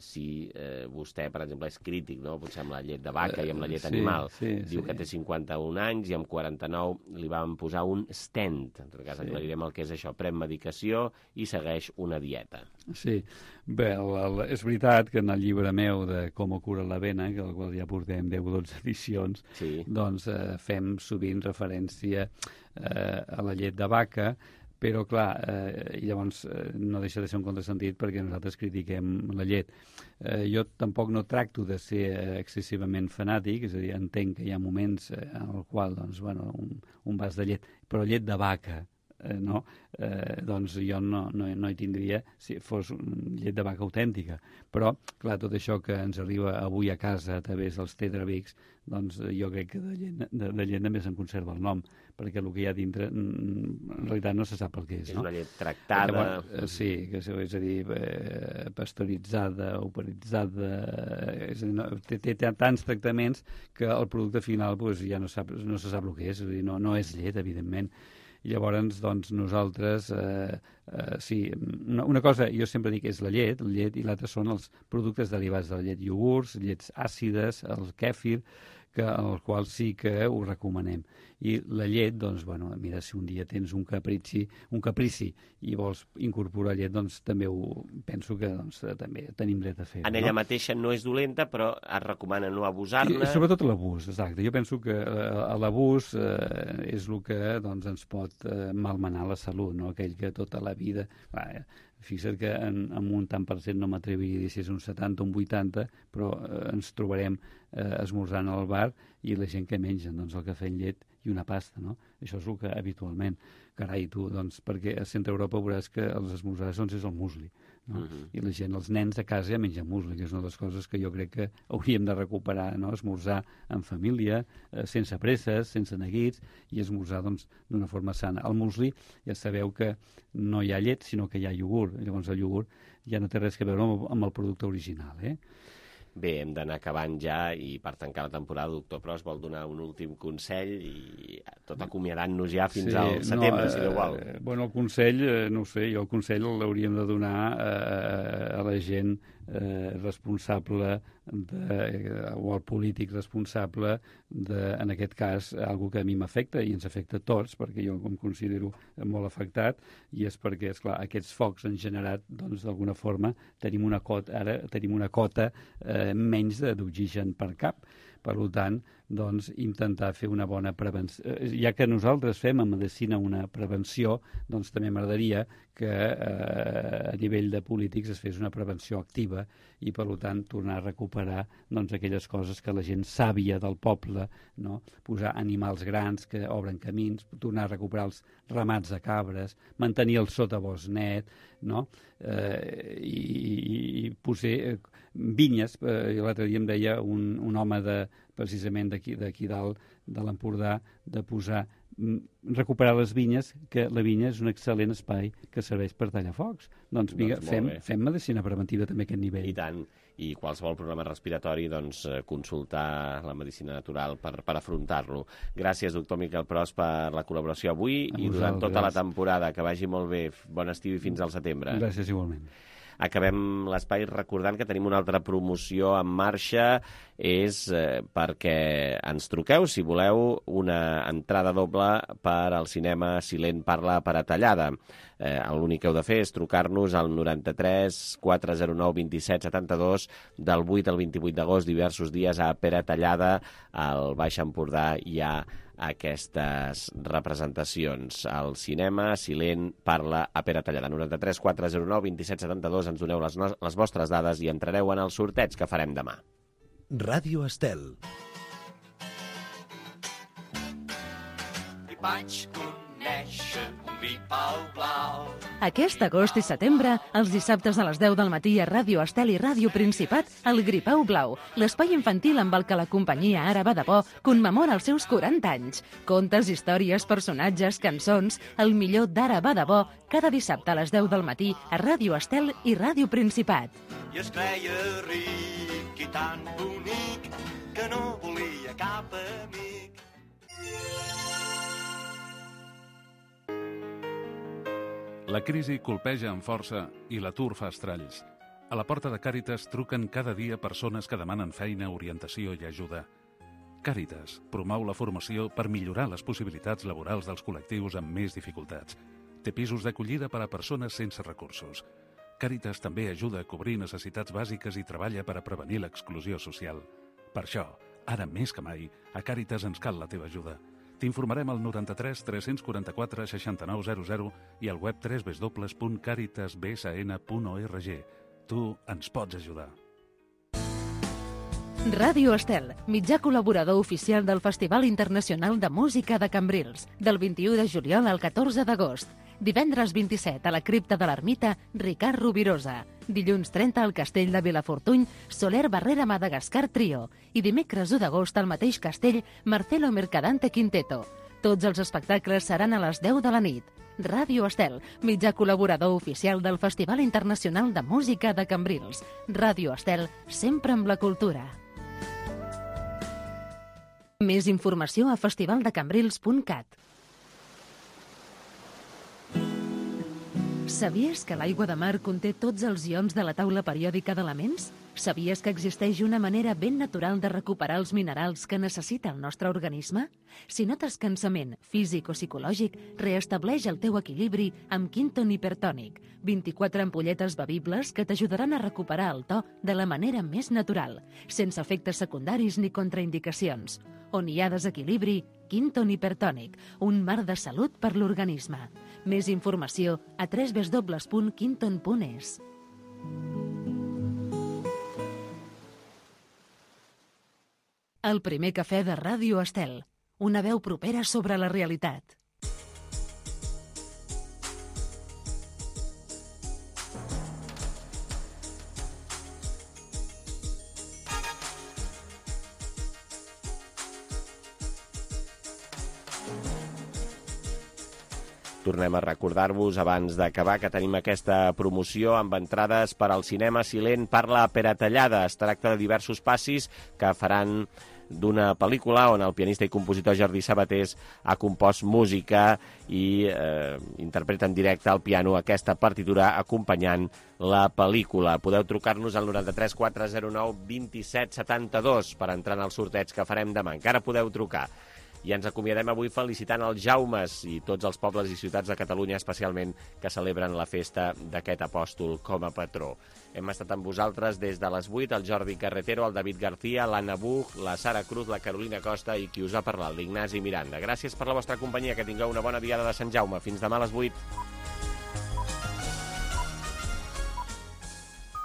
si eh, vostè, per exemple, és crític, no? Potser amb la llet de vaca i amb la llet Sí, animal. sí, Diu sí. que té cinquanta-un anys i amb quaranta-nou li van posar un stent. En tot cas, Sí. aclarirem el que és això. Pren medicació i segueix una dieta. Sí, bé, el, el, és veritat que en el llibre meu de Com cura l'avena, que el qual ja portem deu o dotze edicions, sí. doncs eh, fem sovint referència eh, a la llet de vaca, però clar, eh, llavors eh, no deixa de ser un contrasentit perquè nosaltres critiquem la llet. Eh, jo tampoc no tracto de ser eh, excessivament fanàtic, és a dir, entenc que hi ha moments eh, en el qual, doncs, bueno, un, un vas de llet, però llet de vaca, eh, no? Eh, doncs jo no, no, no hi tindria si fos llet de vaca autèntica. Però, clar, tot això que ens arriba avui a casa a través dels Tetrabrics, doncs jo crec que de llet, de, de llet només en conserva el nom, perquè el que hi ha dintre en realitat no se sap el que és. És no? una llet tractada. Llavors, sí, que és a dir, eh, pasteuritzada, operitzada, és a dir, no, té, té tants tractaments que el producte final pues, ja no, sap, no se sap el que és, és a dir, no, no és llet, evidentment. I llavors, doncs, nosaltres, eh, eh, sí, una, una cosa, jo sempre dic, és la llet, la llet i l'altra són els productes derivats de la llet, iogurts, llets àcides, el kèfir, que, el qual sí que ho recomanem. I la llet, doncs, bueno, mira, si un dia tens un caprici, un caprici i vols incorporar llet, doncs també ho penso que doncs, també tenim dret a fer. En ella no? mateixa no és dolenta, però es recomana no abusar-ne. I, sobretot l'abús, exacte. Jo penso que eh, l'abús eh, és el que doncs, ens pot eh, malmenar la salut, no? Aquell que tota la vida... Va, fixa't que en, en un tant per cent no m'atreviria a dir si és un setanta o un vuitanta, però eh, ens trobarem eh, esmorzant al bar i la gent que mengen doncs, el cafè amb llet i una pasta, no? Això és el que habitualment. Carai, tu, doncs, perquè a Centre Europa veuràs que els esmorzars doncs, és el musli, no? Uh-huh. I la gent, els nens a casa ja mengen musli, que és una de les coses que jo crec que hauríem de recuperar, no? Esmorzar en família, eh, sense presses, sense neguits, i esmorzar doncs, d'una forma sana. El musli, ja sabeu que no hi ha llet, sinó que hi ha iogurt. Llavors el iogurt ja no té res a veure amb, amb el producte original, eh? Bé, hem d'anar acabant ja i per tancar la temporada, doctor Pros vol donar un últim consell i tot acomiadant-nos ja fins sí, al setembre, no, si no vol. Eh, bueno, el consell, eh, no ho sé, jo el consell l'hauríem de donar eh, a la gent eh, responsable de, eh, o al polític responsable de, en aquest cas, algo que a mi m'afecta i ens afecta a tots, perquè jo em considero molt afectat, i és perquè, esclar, aquests focs han generat, doncs, d'alguna forma, tenim una cota, ara tenim una cota eh, menys d'oxigen per cap. Per tant, doncs, intentar fer una bona prevenció. Ja que nosaltres fem a medicina una prevenció, doncs també m'agradaria que eh, a nivell de polítics es fes una prevenció activa i, per tant, tornar a recuperar doncs, aquelles coses que la gent sàvia del poble, no? Posar animals grans que obren camins, tornar a recuperar els ramats de cabres, mantenir el sotabosc net, no? Eh, i, i posar eh, vinyes. Eh, L'altre dia em deia un, un home de, precisament d'aquí d'aquí dalt, de l'Empordà, de posar, recuperar les vinyes, que la vinya és un excel·lent espai que serveix per tallar focs. Doncs, vinga, doncs fem, fem medicina preventiva també a aquest nivell. I tant. I qualsevol problema respiratori, doncs, consultar la medicina natural per, per afrontar-lo. Gràcies, doctor Miquel Pros, per la col·laboració avui i durant tota la temporada. Que vagi molt bé. Bon estiu i fins al setembre. Gràcies, igualment. Acabem l'espai recordant que tenim una altra promoció en marxa, és eh, perquè ens truqueu, si voleu, una entrada doble per al cinema Silent Parla per a Tallada. Eh, L'únic que heu de fer és trucar-nos al noranta-tres quatre zero nou dos set set dos del vuit al vint-i-vuit d'agost, diversos dies a Pere Tallada, al Baix Empordà hi ha aquestes representacions. Al cinema Silent Parla a Pere Tallada. noranta-tres quatre zero nou dos set set dos, ens doneu les, no les vostres dades i entrareu en el sorteig que farem demà. Ràdio Estel. I vaig conèixer un gripau blau. Aquest agost i setembre, els dissabtes a les deu del matí a Ràdio Estel i Ràdio Principat, el Gripau Blau, l'espai infantil amb el que la companyia Ara va de bo commemora els seus quaranta anys. Contes, històries, personatges, cançons, el millor d'Ara va de bo, cada dissabte a les deu del matí a Ràdio Estel i Ràdio Principat. I es creia ric i tan bonic que no volia cap amic. La crisi colpeja amb força i l'atur fa estralls. A la porta de Càritas truquen cada dia persones que demanen feina, orientació i ajuda. Càritas promou la formació per millorar les possibilitats laborals dels col·lectius amb més dificultats. Té pisos d'acollida per a persones sense recursos. Càritas també ajuda a cobrir necessitats bàsiques i treballa per a prevenir l'exclusió social. Per això, ara més que mai, a Càritas ens cal la teva ajuda. T'informarem al noranta-tres tres quaranta quatre seixanta-nou zero zero i al web w w w punt caritas b s n punt org. Tu ens pots ajudar. Ràdio Estel, mitjà col·laborador oficial del Festival Internacional de Música de Cambrils, del vint-i-u de juliol al catorze d'agost. Divendres vint-i-set a la cripta de l'Ermita, Ricard Rovirosa. Dilluns trenta al Castell de Vilafortuny, Soler Barrera Madagascar Trio. I dimecres u d'agost al mateix castell, Marcelo Mercadante Quinteto. Tots els espectacles seran a les deu de la nit. Ràdio Estel, mitjà col·laborador oficial del Festival Internacional de Música de Cambrils. Ràdio Estel, sempre amb la cultura. Més informació a festivaldecambrils punt cat. Sabies que l'aigua de mar conté tots els ions de la taula periòdica d'elements? Sabies que existeix una manera ben natural de recuperar els minerals que necessita el nostre organisme? Si notes cansament físic o psicològic, reestableix el teu equilibri amb Quinton Hipertònic. vint-i-quatre ampolletes bevibles que t'ajudaran a recuperar el to de la manera més natural, sense efectes secundaris ni contraindicacions. On hi ha desequilibri, Quinton Hipertònic, un mar de salut per l'organisme. Més informació a w w w punt quinton punt e s. El primer cafè de Ràdio Estel, una veu propera sobre la realitat. Tornem a recordar-vos, abans d'acabar, que tenim aquesta promoció amb entrades per al cinema Silent parla Peratallada. Es tracta de diversos passis que faran d'una pel·lícula on el pianista i compositor Jordi Sabatés ha compost música i eh, interpreta en directe al piano aquesta partitura acompanyant la pel·lícula. Podeu trucar-nos al noranta-tres quatre zero nou dos set set dos per entrar en el sorteig que farem demà. Encara podeu trucar. I ens acomiadem avui felicitant els Jaumes i tots els pobles i ciutats de Catalunya, especialment, que celebren la festa d'aquest apòstol com a patró. Hem estat amb vosaltres des de les vuit, el Jordi Carretero, el David García, l'Anna Buch, la Sara Cruz, la Carolina Costa i qui us ha parlat, l'Ignasi Miranda. Gràcies per la vostra companyia, que tingueu una bona diada de Sant Jaume. Fins demà a les vuit.